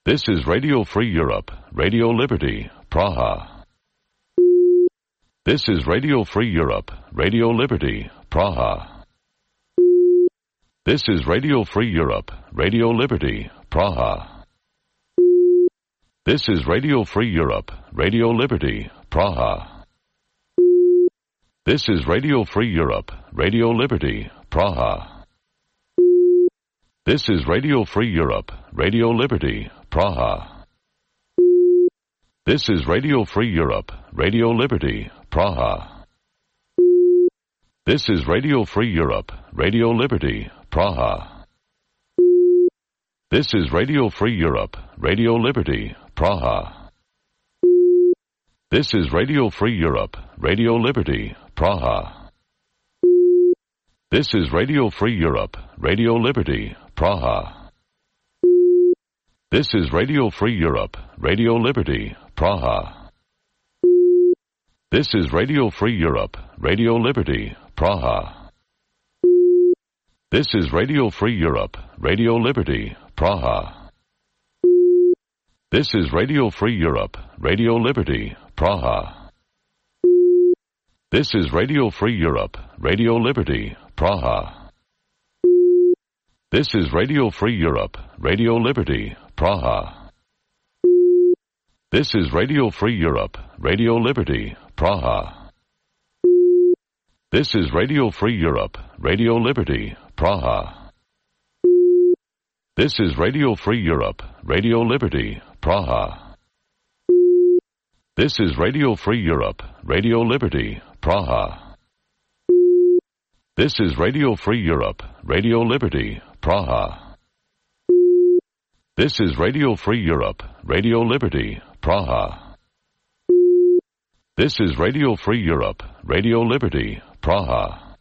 This is Radio Free Europe, Radio Liberty, Praha. This is Radio Free Europe, Radio Liberty, Praha. This is Radio Free Europe, Radio Liberty, Praha. This is Radio Free Europe, Radio Liberty, Praha. This is Radio Free Europe, Radio Liberty, Praha. This is Radio Free Europe, Radio Liberty, Praha. This is Radio Free Europe, Radio Liberty, Praha. This is Radio Free Europe, Radio Liberty, Praha. This is Radio Free Europe, Radio Liberty, Praha. This is Radio Free Europe, Radio Liberty, Praha. This is Radio Free Europe, Radio Liberty, Praha. This is Radio Free Europe, Radio Liberty, Praha. This is Radio Free Europe, Radio Liberty, Praha. This is Radio Free Europe, Radio Liberty, Praha. This is Radio Free Europe, Radio Liberty, Praha. This is Radio Free Europe, Radio Liberty, Praha. This is Radio Free Europe, Radio Liberty, Praha. This is Radio Free Europe, Radio Liberty, Praha. This is Radio Free Europe, Radio Liberty, Praha. This is Radio Free Europe, Radio Liberty, Praha. This is Radio Free Europe, Radio Liberty, Praha. This is Radio Free Europe, Radio Liberty, Praha. This is Radio Free Europe, Radio Liberty, Praha. This is Radio Free Europe, Radio Liberty, Praha.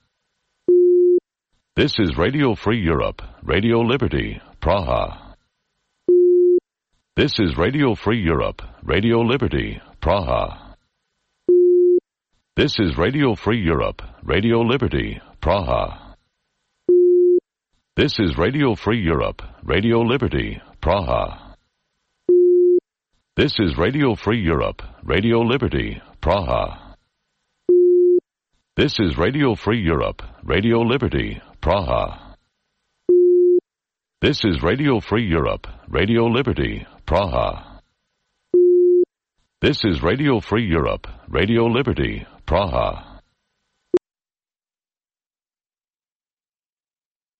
This is Radio Free Europe, Radio Liberty, Praha. This is Radio Free Europe, Radio Liberty, Praha. This is Radio Free Europe, Radio Liberty, Praha. This is Radio Free Europe, Radio Liberty, Praha. This is Radio Free Europe, Radio Liberty, Praha. This is Radio Free Europe, Radio Liberty, Praha. This is Radio Free Europe, Radio Liberty, Praha. This is Radio Free Europe, Radio Liberty, Praha.